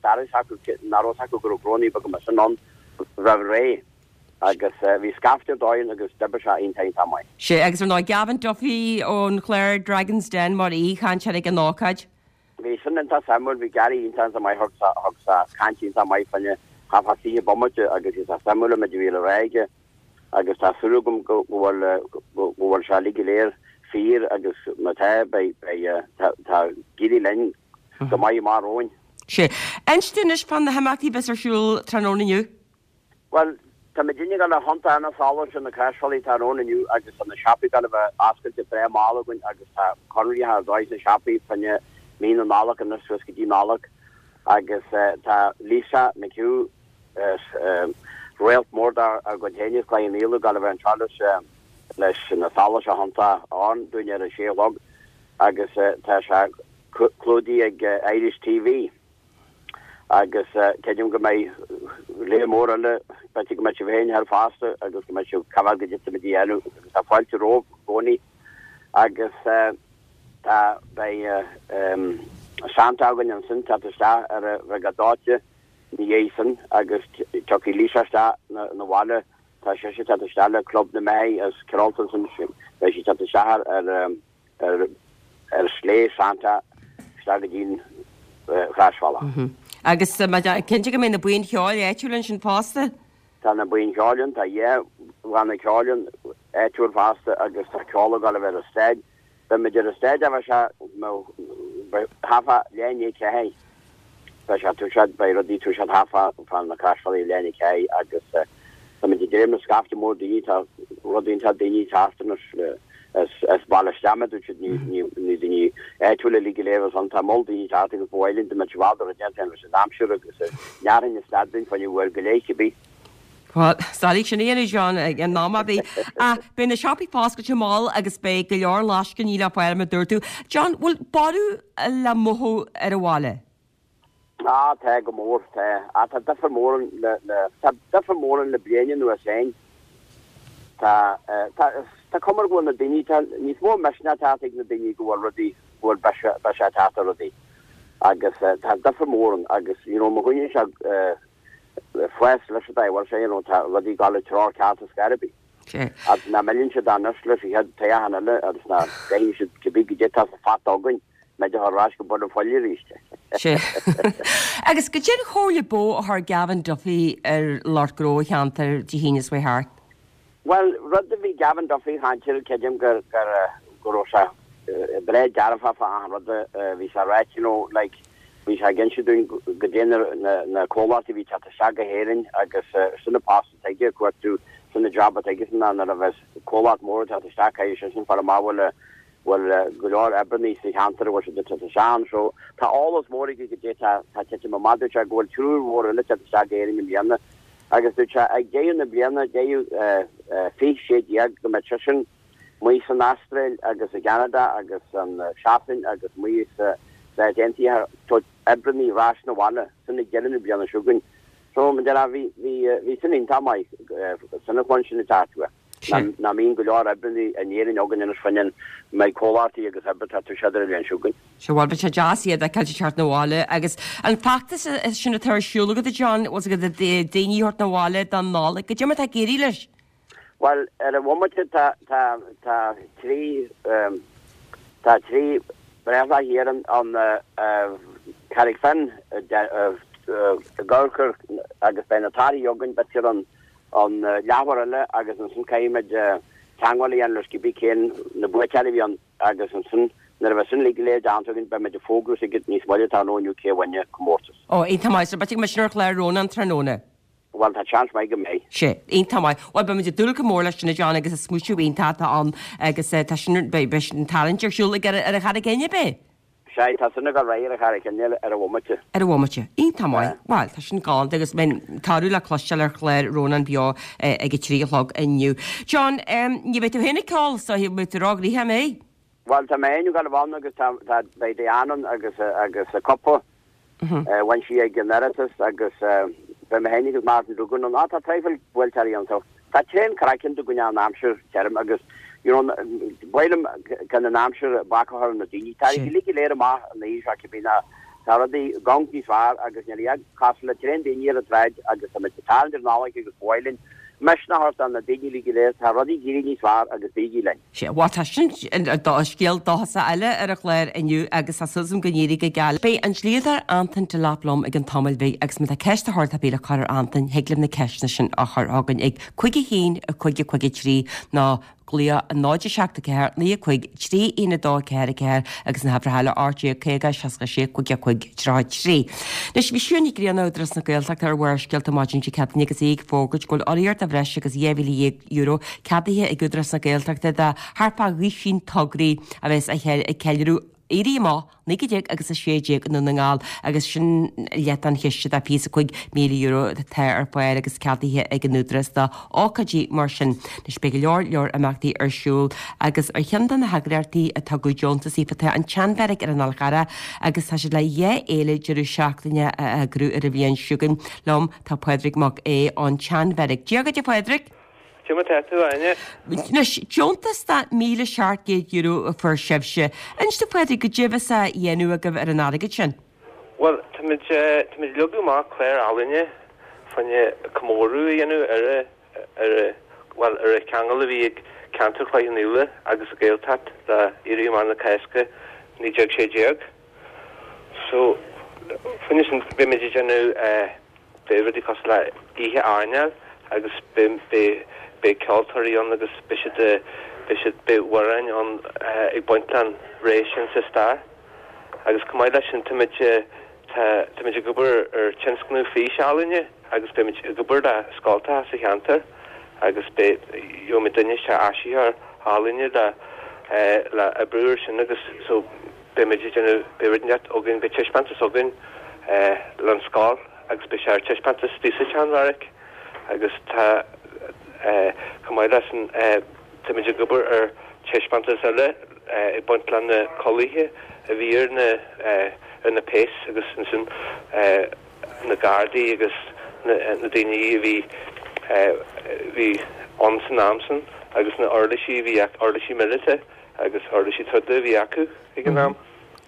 daris acu nach raibh acu go gróí go mar sin an raibh ré agus bhí scaifte dóin agus d'oibrigh sé iontach maith. Sé agus ar ná Gavin Duffy ón chlár Dragons Den mar aoichainteoir ag an ócáid. Bhí sin iontach suimiúil bhí Gary iontach maith thug thug sé caint iontach maith fanne ha si bommaide agus is a suimiúil me bhí le réige agus tá súil agam go bhfuil go bhfuil sé go léir fíor agus má tá tá gidí linn go maith mar óin. Sé. Inis fá na himeachtaí bheas ar siúl tráthnóna inniu? Well tá mé dinne le honta anna sála sin na Croisbhealaí tráthnóna inniu agus an na siopaí gan bheith oscailte breá mall againn agus tá conraí dóis na siopaí fá choinne mí na Nollag an suas go dtí Nollag agus tá Lisa McHugh réalt mór ar go héine le níle gan bheith an leis leis na sála se honta an duine ar a sé log agus tá sé clúdaithe ag Irish TV. Agus creidim go mbeidh léir mór eile, b'fhéidir go mbeidh sibh féin thar fosta agus go mbeidh sibh cabhair go dtitfidh muid a dhéanamh agus tá fáilte romhaibh i gcónaí. Agus tá, beidh Santa againn ansin teacht isteach ar a bheith go dóite ina dhiaidh sin agus tiocfaidh Lisa isteach 'na bhaile, tá sise teacht isteach le Club na mBeithígh as Carrollton ansin, beidh sí teacht isteach ar ar ar sleigh Santa isteach go dtí'n Chroisbhealach. Agus cinnte go mbeidh na buíon cheoil áitiúil ansin fosta? Tá na buíon cheoil ann, tá dhá bhanna ceoil ann áitiúil fosta agus tá ceol ag dul a bheith ar an stage. Beidh muid ar an stage a bheidh sé half a leath i ndiaidh a ceathair. Beidh sé toiseacht, beidh rudaí toiseacht half a fan na Croisbhealaí leath i ndiaidh a ceathair agus tá muid ag dréim le scaifte mór daoine, tá rud iontach daoine ag teacht anois le as baile isteach mar dúirt siad, ní daoine áitiúla uilig go léir as ann, tá moll daoine ag teacht agus ba mhaith linn dá mbeadh i bhfad rud déanta leis an aimsir agus nearthainn is stad duinn fá choinne uair go leith cibé. Bhuel, is doiligh sin a dhéanamh, John, ag an am ar bith. Ach beidh na siopaí foscailte mall agus beidh go leor lascainí le fáil mar a dúirt tú. John, bhfuil borradh le mothú ar an bhaile? Ah, tá go mór, tá. Ah, tá difear mór ann le, le, tá difear mór ann le bliain anuas féin. Tá, tá, tá cuma go bhfuil na daoine, tá níos mó misneach teacht ag na daoine go bhfuil rudaí, go bhfuil biseach, biseach teacht ar rudaí. Agus tá difear mór ann agus, you know, má choinníonn sé fás leis an dá bhfuil sé, you know, tá rudaí ag dul i dtreo ceart ar scor ar bith. Agus ná milleann siad anois leis an chéad toghchán eile agus ná gcaitheann siad cibé goidé atá sa phota againn. Mbeidh ar ais go bun an phoill arís. Sea. Agus goidé an chomhairle ba mhó a chuir Gavin Duffy ar lucht gnó an cheantair Dé hAoine seo thart? Bhuel, rud a bhí Gavin Duffy ag caint air, creidim gur, gur, go raibh sé breá dearfach fá achan rud a bhí sé a ráit, you know, like, bhí sé ag inse dúinn goidé na, na, na comhlachtaí a bhí ag teacht isteach go hÉirinn agus sin an post atá aige, ag cuartú, sin an job atá aige, sin nuair a bheas comhlacht mór ag teacht isteach, caithfidh sé sin fáil amach bhfuil a, bhfuil go leor oibreannaí sa cheantar a bhfuil siad ag teacht isteach ann. So, tá eolas mór aige goidé tá ag titim amach. Dúirt sé go bhfuil triúr mhór eile ag teacht isteach go Éirinn i mbliana agus dúirt sé ag deireadh na bliana, deireadh fiche sé déag, go mbeidh seisean amuigh san Astráil agus i gCeanada agus an Sasain agus amuigh sa Stáit Aontaithe ag tabhairt oibreannaí ar ais 'na bhaile, sin ag deireadh na bliana seo chugainn. So, mar a déarfá, bhí, bhí, bhí sin iontach maith, sin an chluin sin ag teacht uaidh. Ná mbíonn go leor oibreannaí in Éirinn againn anois fá choinne mbeidh comhlachtaí agus oibre tá siad ar an bhliain seo chugainn. Sea, bhuel, beidh sé deas iad a fheiceáil ag teacht 'na bhaile agus an feachtas sin atá ar siúl agat, a John, bhfuil 's agat daoine a thabhairt 'na bhaile don Nollaig, goidé mar atá ag éirí leis? Bhuel, ar an bhomaite tá, tá, tá trí, tá trí breithlá thiar an, an Carraig Finn ag amharc agus beidh na torthaí againn b'fhéidir an, an leathuair eile agus ansin caithfimid teagmháil a dhéanamh leis cibé cén na buaiteoirí a bhí ann agus ansin nuair a bheidh sin uilig go léir déanta againn beimid ag fógrú chugat níos moille tráthnóna inniu cé a bhain an comórtas. Ó, iontach maith, so beidh muid ar chlár Rónán tráthnóna. Bhuel, tá seans maith go mbeidh. Sea, iontach maith. Bhuel, beimid ag dúil go mór leis sin, a John, agus is smaoitiú iontach atá ann agus tá sin, beidh sin tarraingt ar siúl ag ar an Charraig Fhinn, ab é? Sea, tá sin ag dul ar aghaidh ar an Charraig Fhinn ar an bhomaite. Ar an bhomaite. Iontach maith. Bhuel, tá sin galánta agus beidh toradh le cloisteáil ar chlár Rónán Beo ag a trí a chlog inniu. John, ní bheidh tú féin ag ceol, so beidh tú róghnoitheach, an mbeidh? Bhuel, tá mé féin ag dul ann agus tá, tá, beidh Diane ann agus, agus a cúpla, bhain sí ag an Oireachtas agus beidh mé féin agus Martin Duggan ann. Á, tá traidhfil buailteoirí ann so. Tá tréan craic ann do dhuine an aimsir tirim agus you know ba mhaith liom gan an aimsir bac a chur ar na daoine. Tá siad uilig go léir amach an oíche seo cibé ná tá rudaí gonc níos fearr agus níl a cosúil le tréan daoine ar an tsráid agus tá muid ag tarraingt ar an Nollaig agus ba mhaith linn misneach a thabhairt do na daoine uilig go léir tá rudaí ag éirí níos fearr agus bígí linn. Sea, bhuel tá sin scéal dóchasach eile ar an chlár inniu agus tá súil agam go n-éirí go geal. Beidh an dlíodóir Antain Delap liom i gcionn tamaill bhig agus má tá ceist de shórt ar bith le cur ar Antain, thig libh na ceisteanna sin a chur chugainn ag cúig a haon, a cúig a cúig a trí nó glaoch a náid a seacht a ceathair naoi a cúig trí aon a dó a ceathair a ceathair agus na huimhreacha eile ocht déag caoga seasca sé cúig a cúig tríocha trí. Anois bhí Siún Ní Ghrianna Údarás na Gaeltachta ar Bharrscéalta maidin Dé Céadaoine agus í ag fógairt go bhfuil urraíocht de bhreis agus dhá mhíle dhéag euro ceadaithe ag Údarás na Gaeltachta do thart fá dhuisín tograí a bheas ag ceiliúradh Éirí Amach naoi déag agus a sé déag i nDún na nGall agus sin leath den chiste de fiche is a cúig míle euro atá ar fáil agus ceadaithe ag an Údarás do ócáidí mar sin. Anois beidh go leor leor imeachtaí ar siúl agus ar cheann de na heagraíochtaí a tugadh deontas daofa tá an tSeanbheairic ar an Fhál Charrach agus tá siad le dhá fhéile deireadh seachtaine a eagrú ar an bhliain seo chugainn. Liom tá Pádraig Mac Aodha ón tSeanbheairic. Dia dhuit a Phádraig! Cad é mar tá tú, a Áine? Anois, deontas de míle seacht gcéad euro a fuair sibhse. Inis domh a Phádraig, goidé a bheas á dhéanamh agaibh ar an airgead sin? Bhuel, táimid, táimid ag leagadh amach clár ealaíne fá choinne comóradh a dhéanamh ar a, ar a, bhuel, ar an cheangal a bhí ag ceantar Chloich Cheann Fhaola agus an Ghaeltacht le Éirí Amach na Cásca naoi déag sé déag. So, fá choinne sin, beimid ag déanamh eh, beidh rudaí cosúil le oíche airneáil agus beidh, beidh, beidh ceoltóirí ann agus beidh siad, beidh siad, beidh amhráin ann eh, ag baint leis an ré sin sa stair. Agus chomh maith leis sin táimid, tá, táimid ag obair ar tionscnamh fís-ealaíne agus beimid ag obair le scoltacha sa cheantar agus beidh, gheobhaimid duine isteach áisitheoir ealaíne le eh, le oibriú ar sin agus so beimid ag déanamh, beidh rud inteacht againn, beidh taispeántas againn eh, leis an scoil agus beidh sé ar taispeántas istigh sa tSeanbheairic agus tá eh, chomh maith leis sin eh, táimid ag obair ar taispeántas eile eh, ag baint le na culaithe a bhí ar na eh, ar na péas agus ansin eh, na gardaí agus na, na daoine a bhí eh, bhí ann san am sin agus na uirlisí a bhí ac- uirlisí míleata agus uirlisí troda a bhí acu ag an am.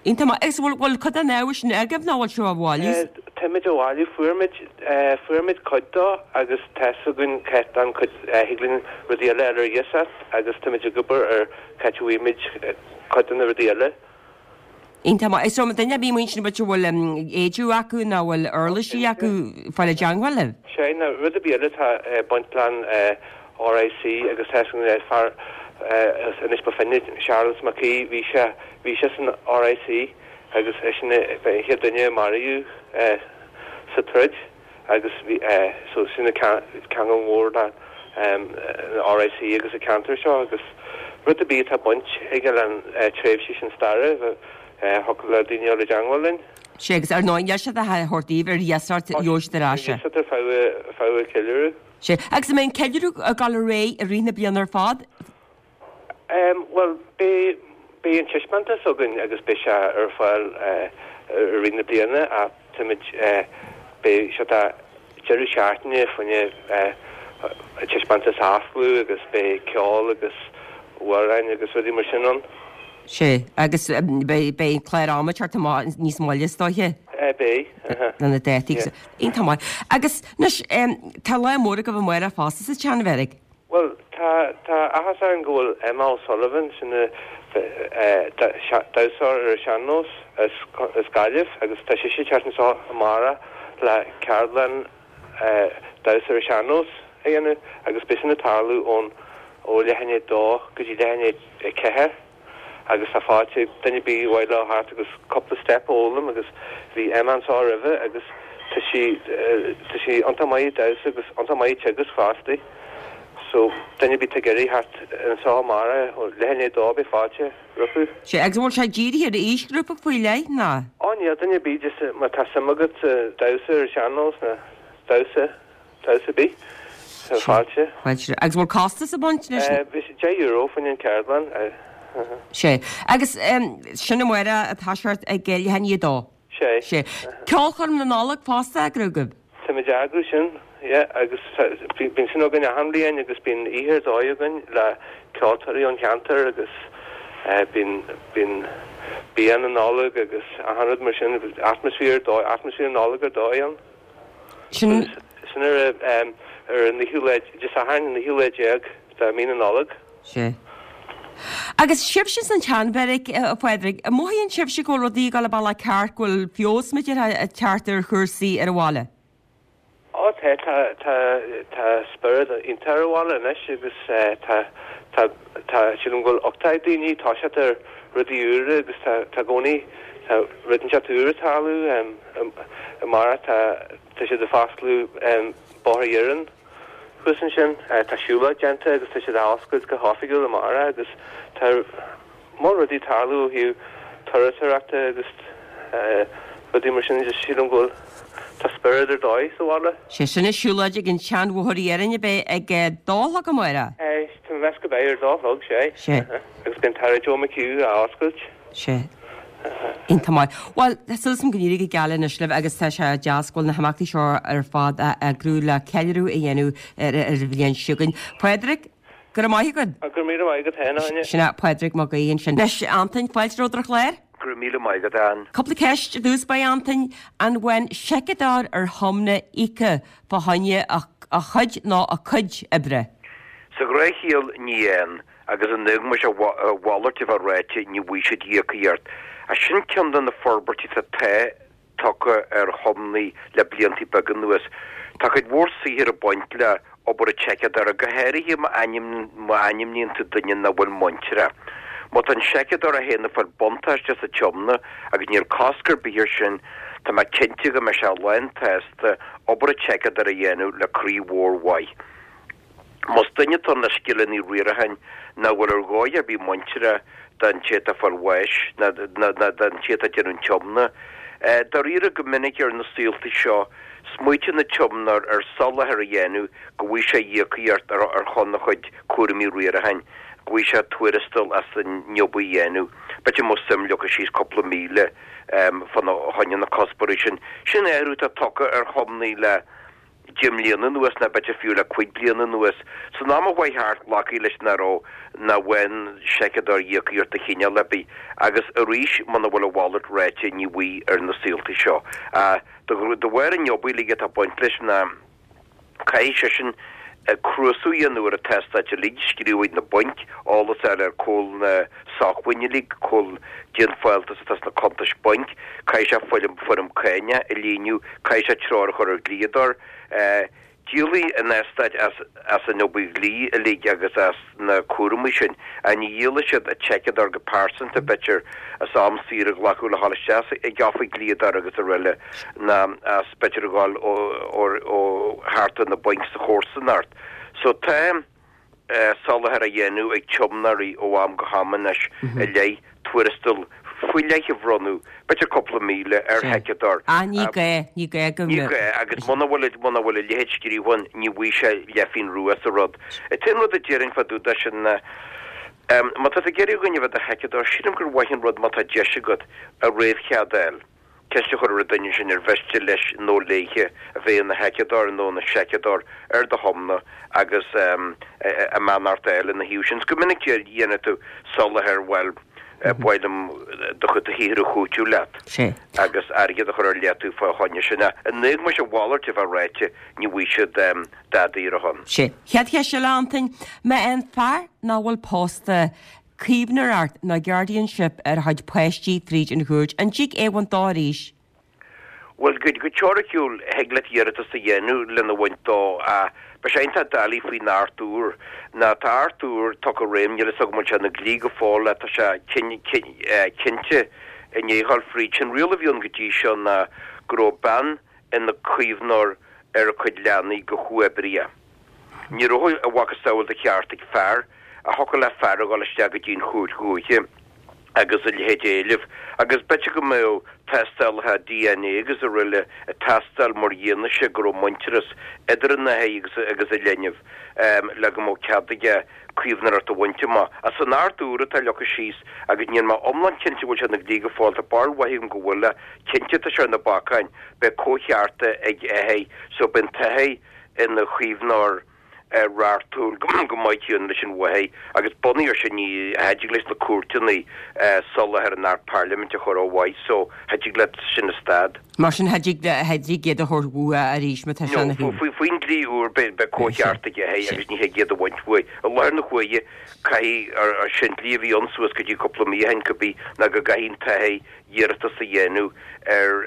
Iontach maith. Agus bhfuil, bhfuil cuid den ábhar sin agaibh nó bhfuil sibh á bhailiú? Eh, Táimid á bhailiú, fuair muid, eh, fuair muid cuid dó agus tá 'fhios againn cá an cuid eh, thig linn rudaí eile ar iasacht agus táimid ag obair ar cá háit a bhfaighimid eh, cuid de na rudaí eile. Iontach maith. Is duine ar bith amuigh ansin b'fhéidir bhfuil um, éide acu nó bhfuil uirlisí acu fáil i dteagmháil libh? Sé na rud ar bith eile tá eh, baint leis eh, RIC agus tá an fear eh, anois ba finne Charles McKee bhí sé bhí sé san RIC agus é sin an chéad duine a maraíodh eh, sa troid agus bhí eh, so sin ceangal mór le um, RIC agus an ceantar seo agus rud ar bith tá baint aige an eh, tréimhse sin staire eh, thiocfadh le daoine le teagmháil linn. Sé agus ar ndóigh níl siad a thabhairt daoibh ar iasacht gheobhaidh siad ar ais. Ar feadh feadh ceiliúradh. Sé agus an mbeidh an ceiliúradh ag dul ar aghaidh i rith na bliana ar fad? Um, well beidh beidh an taispeántas againn agus beidh sé ar fáil uh, i rith na bliana a táimid uh, beidh sé tá deireadh seachtaine fá choinne uh, taispeántas a oscailt agus beidh ceol agus amhráin agus rudaí mar sin ann. Sé agus um, beidh beidh clár ama thart níos moille is dóiche Uh, beidh. Uh-huh. na na dátaí. Iontach maith. Agus anois um, tá lá mór agaibh amárach fosta sa tSeanbheairic. Well tá tá áthas orainn go bhfuil Emma O'Sullivan sin damhsóir ar sean-nós as as Gaillimh agus tá sí ag teacht anseo amárach le ceardlann damhsa ar sean-nós a dhéanamh agus beidh sin ag tarlú ón ó leath i ndiaidh a dó go dtí leath i ndiaidh a ceathair agus tá fáilte duine ar bith mhaith leo theacht agus cúpla step a fhoghlaim agus bhí Emma anseo roimhe agus tá sí tá sí iontach maith damhsa agus iontach maith teagasc fosta. So duine ar bith ag iarraidh theacht anseo amárach ó leath i ndiaidh a dó beidh fáilte rompu. Sé agus bhfuil sé dírithe ar aoisghrúpa faoi leith ná? Ó níl duine ar bith just má tá suim agat damhsa ar sean-nós ná damhsa damhsa ar bith tá fáilte. Fáilte. Agus bhfuil costas ag baint leis? Bhí sé deich euro faoin an ceardlann. Sé agus um, sin amárach atá seart ag leath i ndiaidh a dó. Sé. Sé. Ceolchoirm na Nollag fosta eagraithe agaibh. Táimid ag eagrú sin yeah, agus bíonn sin againn achan bhliain agus bíonn oíche ar dóigh againn le ceoltóirí ón cheantar agus uh, bíonn bíonn bia na Nollag agus achan rud mar sin atmaisféar dóigh atmaisféar Nollag ar dóigh ann. Sin Sin ar um, ar an naoú lá Dé Sathairn an naoú lá déag de mhí na Nollag. sé. Agus sibhse san tSeanbheairic a Phádraig, an mothaíonn sibhse go bhfuil rudaí ag dul an bealach ceart go bhfuil feabhas ag teacht ar chúrsaí ar an bhaile. Ó tá tá tá tá spiorad iontach ar an bhaile anois agus eh, tá tá tá sílim go bhfuil uchtach daoine tá siad ar rudaí úra agus tá tá i gcónaí tá rud inteacht úr ag tarlú um, um, amárach tá tá siad ag foscladh um, Bóthar Dhoireann thuas ansin uh, tá siúlóid déanta agus tá siad á oscailt go hoifigiúil amárach agus tá mór rudaí ag tarlú ó thaobh turasóireachta agus rudaí mar sin just sílim go bhfuil tá spiorad ar dóigh sa bhaile. Sé sin an siúlóid ag an tSeanbhóthar Iarainn a bheidh ag dó a chlog amárach? Tá mé meas go beidh ar dó a chlog, sé. Sé. Agus beidh an tAire Joe McHugh á oscailt. Sé. Iontach maith. Bhuel, tá súil agam go n-éirí go geal anois libh agus tá sé deas go bhfuil na himeachtaí seo ar fad á eagrú le ceiliúradh a dhéanamh ar an bhliain seo chugainn. Pádraig, go raibh maith agat. Go raibh míle maith agat féin, Áine. Sin é Pádraig Mac Aoidh ansin. Anois, Antain, fáilte romhat ar an chlár. Go raibh míle maith agat, Ann. Cúpla ceist i dtús báire, Antain. An bhfaigheann seiceadóir ar thiomna íoctha fá choinne a chuid nó a cuid oibre? Sa ghnáthchiall, ní fhaigheann. Agus in éagmais a mhalairt a bheith ráite, ní bhfaighidh siad íocaíocht. Ach sin ceann de na forbairtí atá tagtha ar thiomnaí le blianta beaga anuas. Tá cuid mhór saothair ag baint le obair an tseiceadóra, go háirithe má ainmníonn tú duine nach bhfuil muinteartha. Má tá an seiceadóir é féin ag fáil buntáiste sa tiomna, agus níl cosc ar bith air sin, tá mé cinnte go mbeidh sé lán-tsásta obair an tseiceadóra a dhéanamh le croí mhór mhaith. Más duine atá ann le scileanna riaracháin nach bhfuil ar dhóigh ar bith muinteartha don té atá ag fáil bháis ná don té atá ag déanamh an tiomna. Dáiríre, go minic ar na saolta seo, smaoitíonn an tiomnóir ar soláthar a dhéanamh go bhfaighidh sé íocaíocht ar shon a chuid cúraimí riaracháin, go bhfaighidh sé tuarastal as an jab a dhéanamh. B'fhéidir go mbeadh suim leagtha síos cúpla míle fá choinne na cuspóirí sin. Sin athrú atá tagtha ar thiomnaí le. deich mbliana anuas, nó b'fhéidir fiú le cúig bliana anuas. San am a chuaigh thart, glacadh leis nach raibh, nach bhfaigheann seiceadóir íocaíocht de chineál ar bith, agus arís, muna bhfuil a mhalairt ráite, ní bhfaighidh ar na saolta seo. De bharr an obair uilig atá ag baint leis ná caithfidh seisean cnuasú a dhéanamh ar an t-eastát uilig, scríobh ag na bainc, eolas a fháil ar cá bhfuil na sócmhainní uilig, cá bhfuil cén fáltas atá sna cuntais bainc, caithfidh sé foirm foirm cáinne a líonadh, caithfidh sé treoir a chur ar dhlíodóir. Díolfaidh an eastát as as an obair dhlí uilig agus as na cúramaí sin, ach ní dhíolfaidh siad an tseiceadóir go pearsanta, b'fhéidir, as am saor a ghlacadh le dhul isteach ag oifig dlíodóra agus araile, ná as b'fhéidir a dhul ó thart ar na bainc sa chomharsanacht. So tá soláthar á dhéanamh ag tiomnóirí ó am go ham anois i leith tuarastal faoi leith a bhronnadh, b'fhéidir cúpla míle, ar sheiceadóir. Ah, ní gá, ní gá go Ní gá, agus muna bhfuil, muna bhfuil a leithéid scríofa ann, ní bhfaighidh sé leathphingin rua as an rud. An t-aon rud a déarfainn fá dtaobh de sin ná, má tá tú ag iarraidh dhuine a bheith i do sheiceadóir, sílim gur mhaith an rud má tá deis agat a réamhchead a fháil. Ceist a chur ar an duine sin ar mhiste leis nó léithe a bheith ina sheiceadóir nó ina seiceadóir ar do thiomna agus a mbeannacht a fháil ina thaobh sin. Go minic dhéanfaidh tú soláthar, bhuel, ba mhaith liom do chuid shaothair a chúiteamh leat agus airgead a chur ar leataobh fá choinne sin. In éagmais a mhalairt a bheith ráite, ní bhfaighidh siad dadaí ar a shon. Sé. Chéad cheist eile, Antain, má fhaigheann fear nach bhfuil pósta caomhnóireacht nó guardianship ar a chuid páistí fríd an chúirt, an dtig é a bhaint dó arís? Bhuel, go teoiriciúil, thig leat iarratas a dhéanamh lena bhaint dó ach beidh sé iontach doiligh faoin Acht úr. Ná tá Acht úr tugtha i réim, níl a fhios agam an bhfuil sé ina dhlí go fóill ach tá sé cinnte i ndiaidh a dhul fríd. Sé'n riail a bhí ann go dtí seo ná go raibh bean ina caomhnóir ar a cuid leanaí go huathoibríoch. Ní raibh a mhacasamhail de cheart ag fear a thiocfadh le fear a dhul isteach go dtí an chúirt dhúiche agus a leithéid a éileamh, agus b'fhéidir go mbeadh tástálacha DNA agus araile ag teastáil mar fhianaise go raibh muintearas idir an athair agus agus an linbh le go mbeadh cead aige caomhnóireacht a bhaint amach. Ach san Acht úr atá leagtha síos, agus níl mé iomlán cinnte go bhfuil sé ina dhlí go fóill, tá barúil mhaith agam go bhfuil, ach cinnte tá sé ar na bacáin, beidh comhchearta ag athair, so beidh an t-athair ina chaomhnóir reachtúil go maith céanna leis an mháthair agus bunaithe air sin ní cha dtig leis na cúirteanna soláthar an Acht Parlaiminte a chur ó mhaith so cha dtig leat sin a stad. Mar sin cha dtig cha dtig iad a thabhairt uaidh arís má tá sé ina No, faoin dlí úr beidh comhcheart ag athair agus ní thig iad a bhaint uaidh. I láthair na huaire caithfidh, ar sin dlí a bhí ann suas go dtí cúpla mí ó shin cibé, ná go gcaithfidh an t-athair iarratas a dhéanamh ar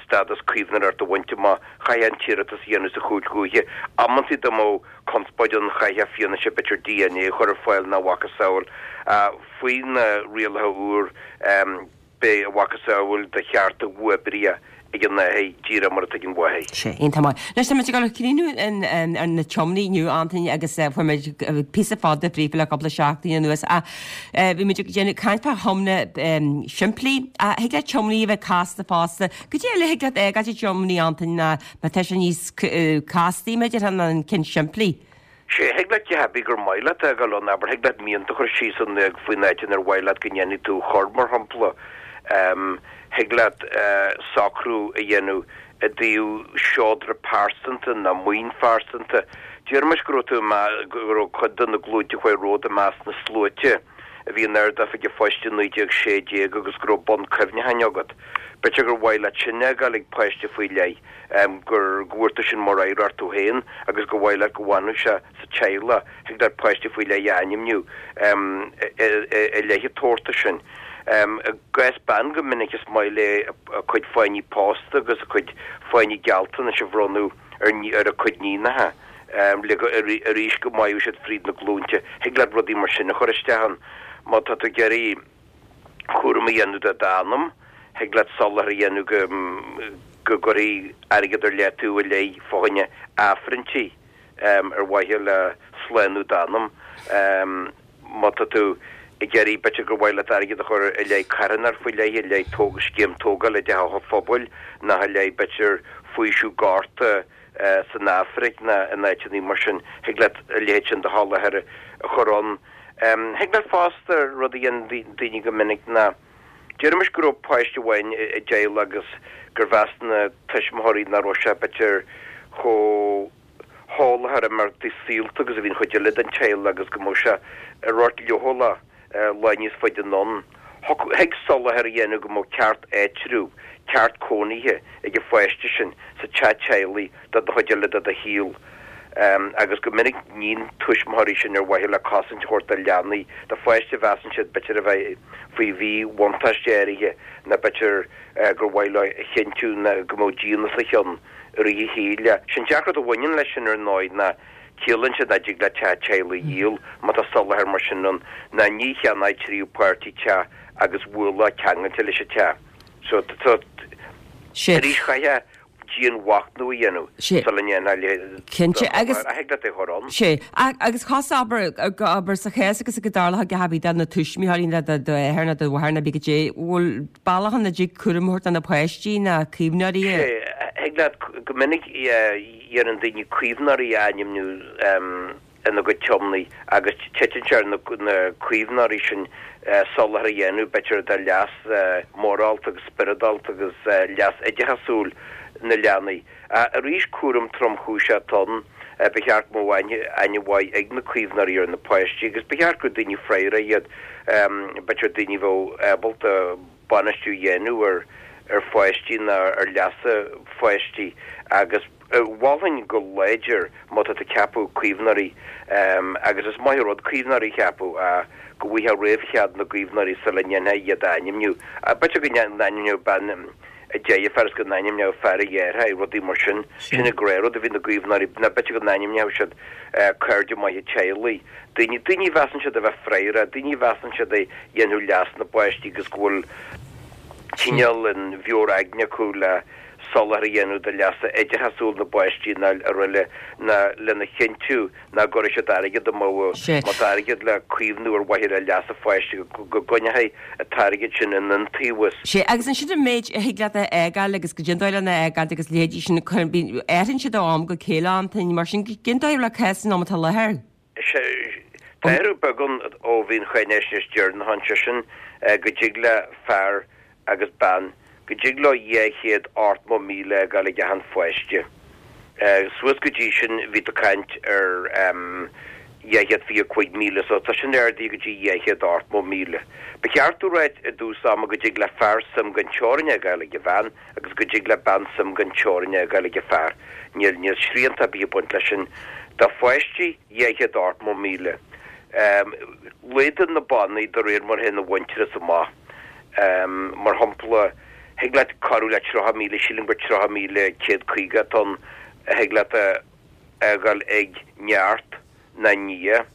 stádas caomhnóireachta a bhaint amach, chaithfeá an t-iarratas a dhéanamh sa chúirt dhúiche. Amantaí dá mbeadh conspóid ann chaithfeá fianaise b'fhéidir DNA a chur ar fáil nó a mhacasamhail. Faoi na rialacha úr beidh a mhacasamhail de chearta uathoibríoch ag an athair díreach mar atá ag an mháthair. Sé, iontach maith. Anois tá muid ag dul a chríochnú ar na tiomnaí inniu, Antaine, agus fuair muid píosa fada fríofa le cúpla seachtain anuas. Ach bhí muid ag déanamh caint fá thiomna simplí. Thig le tiomnaí a bheith casta fosta. Goidé eile thig leat a fhágáil i dtiomnaí, Antaine, ná má tá sé níos castaí, b'fhéidir, ná an ceann simplí? Sé, thig leat a dhath ar bith gur maith leat a fhágáil ann, abair, thig leat mianta a chur síos ann faoin áit inar mhaith leat go ndéanfaidh tú chur, mar shampla. Thig leat socrú a dhéanamh i dtaobh seodra pearsanta nó maoin phearsanta. Déarfaimis go raibh tú go raibh cuid de na glúinte a chuaigh romhat i measc na sluaite a bhí in Ard-Oifig an Phoist i naoi déag sé déag agus go raibh bonn cuimhneacháin agat. B'fhéidir gur mhaith leat sin a fhágáil ag páiste faoi leith. gur go bhfuair tú sin mar oidhreacht tú féin agus gur mhaith leat go bhfanfadh sé sa teaghlach, thig leat páiste faoi leith a ainmniú i leith an tabhartais sin. I gcás bean go minic is maith léi a cuid fáinní pósta agus a cuid fáinní gealltanais a bhronnadh ar a cuid níonacha le go arís go mairfeadh siad fríd na glúinte. Thig leat rudaí mar sin a chur isteach ann má tá tú ag iarraidh cúram a dhéanamh de d'anam, thig leat soláthar a dhéanamh go go gcuirfí airgead ar leataobh i leith fá choinne aifrinntí ar mhaithe le slánú d'anam. Má tá tú ag iarraidh, b'fhéidir gur mhaith leat airgead a chur i leith carthanacht faoi leith, i leith scéim tógála i dteach an phobail, nó i leith b'fhéidir faoiseamh gorta san Afraic nó in áiteanna mar sin, thig leat a leithéid sin de sholáthar a chur ann. Thig leat fosta, rud a dhéanann daoine go minic ná, déarfaimis go raibh páiste amháin i dteaghlach agus gur mheas na tuismitheoirí nach raibh sé b'fhéidir chomh heolach ar imeachtaí saolta agus a bhí an chuid eile den teaghlach agus go mbeadh sé sórt leochaileach lá níos faide anonn. Thig soláthar a dhéanamh go mbeadh ceart áitribh, ceart cónaithe ag an pháiste sin sa teach teaghlaigh don chuid eile de do shaol. Agus go minic níonn tuismitheoirí sin ar mhaithe le cosaint a thabhairt do leanaí, do pháiste a mheasann siad b'fhéidir a bheith faoi mhíbhuntáiste áirithe nó b'fhéidir gur mhaith leo a chinntiú go mbeadh díon os a chionn i rith a shaoil. Sé'n deacracht a bhaineann leis sin ar ndóigh ná ciallaíonn sé nach dtig leat teach teaghlaigh a dhíol má tá soláthar mar sin ann ná ní cheannóidh tríú páirtí teach agus ualach ceangailte leis an teach. So tá arís chaithfeá dianmhachnamh a dhéanamh sula ndéanfá a leithéid Cinnte, agus. Ach thig leat é a chur ann. Sé. Agus chos abair, abair sa chás agus go dtarlódh a dhath ar bith do na tuismitheoirí nó do d'athair nó do mháthair nó pé goidé, bhfuil bealach ann a dtig cúram a thabhairt do na páistí nó caomhnóirí a. Sé. Thig leat, go minic dhéanann daoine caomhnóirí a ainmniú ina gcuid tiomnaí agus titeann sé ar na caomhnóirí sin soláthar a dhéanamh, b'fhéidir, do leas morálta agus spioradálta agus leas oideachasúil na leanaí. Arís, cúram tromchúiseach atá ann. Ba cheart go mbeadh aithne mhaith ag na caomhnóirí ar na páistí agus ba cheart gur daoine freagra iad, b'fhéidir daoine a bheadh ábalta bainistiú a dhéanamh ar ar pháistí nó ar leasa pháistí agus mholfainn go láidir má tá tú ag ceapadh caomhnóirí agus is maith an rud caomhnóirí a cheapadh go bhfaighfeá réamhchead na gcaomhnóirí sula ndéanfá iad a ainmniú. B'fhéidir go n-ainmneodh bean a deirfiúr is go n-ainmneodh fear a dheartháir, rudaí mar sin. Sin an gnáthrud a bhí na gcaomhnóirí, nó b'fhéidir go n-ainmneodh siad cairde maithe teaghlaigh, daoine, daoine a mheasann siad a bheith freagrach, daoine a mheasann siad a dhéanfadh leas na bpáistí agus go bhfuil cineál an mheabhair aigne acu le soláthar a dhéanamh do leasa oideachasúil na bpáistí nó araile ná lena chinntiú nach gcuirfidh siad airgead amú, má tá airgead le caomhnú ar mhaithe le leas an pháiste go gcoinneofaí an t-airgead sin in iontaobhas. Sé, agus ansin an méid a thig leat a fhágáil agus goidé an dóigh lena fhágáil agus leithéidí sin, athraíonn siad ó am go chéile, Antaine, mar sin cén dóigh le cás san am atá i láthair? Tá athrú beag ann ó bhí an cháinaisnéis deireanach ann, sé sin go dtig le fear agus bean, go dtig leo dhá chéad ochtmó míle a fhágáil ag achan pháiste. Suas go dtí sin bhí tú ag caint ar dhá chéad fiche cúig míle so tá sin ardaithe go dtí dhá chéad ochtmó míle. Ba cheart domh ráit i dtús ama go dtig le fear suim gan teorainn a fhágáil ag a bhean agus go dtig le bean suim gan teorainn a fhágáil ag a fear. Níl níl srianta ar bith ag baint leis sin. Do pháistí, dhá chéad ochtmó míle. Laghdaíonn na bannaí de réir mar a théann an mhuintearas amach. Mar shampla, thig leat corradh le tríocha míle, sílim gur tríocha míle céad caoga atá ann, a thig leat a fhágáil ag neart ná nia,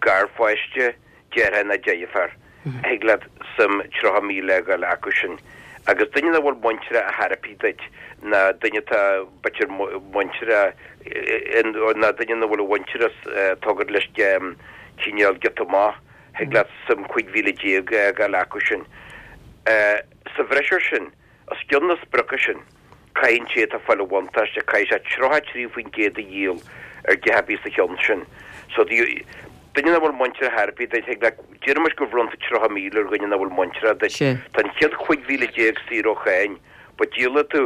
garpháiste, deartháir ná deirfiúr. Thig leat suim tríocha míle a fhágáil acu sin. Agus duine nach bhfuil muinteartha ar chor ar bith duit, ná duine atá b'fhéidir muinteartha, ná duine nach bhfuil a mhuintir tugtha leis cineál giota maith, thig leat suim cúig mhíle déag a fhágáil acu sin. Sa bhreis air sin, os cionn na sprioca sin, caithfidh an té atá ag fáil an bhuntáiste, caithfidh sé tríocha trí faoin gcéad a dhíol ar deich ar bith sa cheann sin. So, duine nach bhfuil muinteartha ar chor ar bith duit, thig leat, déarfaimis gur bhronn tú tríocha míle ar dhuine nach bhfuil muinteartha duit, tá an chéad chúig mhíle déag saor ó cháin, but díolfaidh tú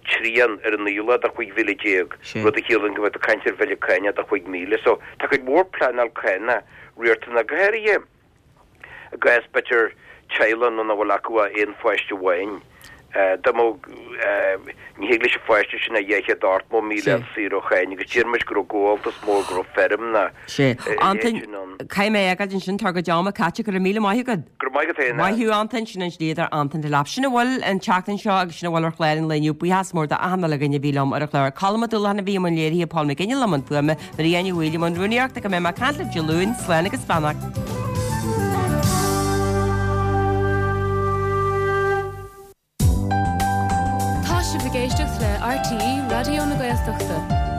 trian ar an aoileach de chúig mhíle déag, rud a chiallaíonn go mbeidh tú ag caint ar bhille cánach de chúig mhíle. So, tá cuid mhór pleanáil cánach riachtanach, go háirithe i gcás, b'fhéidir, teaghlach nach bhfuil acu ach aon pháiste amháin. Dá mbeadh, ní thig leis an pháiste sin ach dhá chéad ochtó míle a fháil saor ó cháin agus déarfaimis go raibh gabháltas mór, go raibh feirm ná Sea. a Antain, leithéid sin ann. caithfidh mé a fhágáil ansin, tá ár gcuid ama caite, go raibh míle maith agat. Go raibh maith agat féin. Maith thú Antain, sin an dlíodóir Antain Delap. Sin a bhfuil an tseachtain seo agus sin a bhfuil ar chlár an lae inniu. Buíochas mór d'achan uile dhuine a bhí liom ar an chlár. Colm Ó Dúlacháin a bhí i mbun léirithe, Paul McGinley i mbun fuaime, Maria Ní Bhaoill i mbun rúnaíochta, go mbeidh mé ag caint libh Dé Luain, slán agus beannacht. Tá sibh ag éisteacht le RTÉ Raidió na Gaeltachta.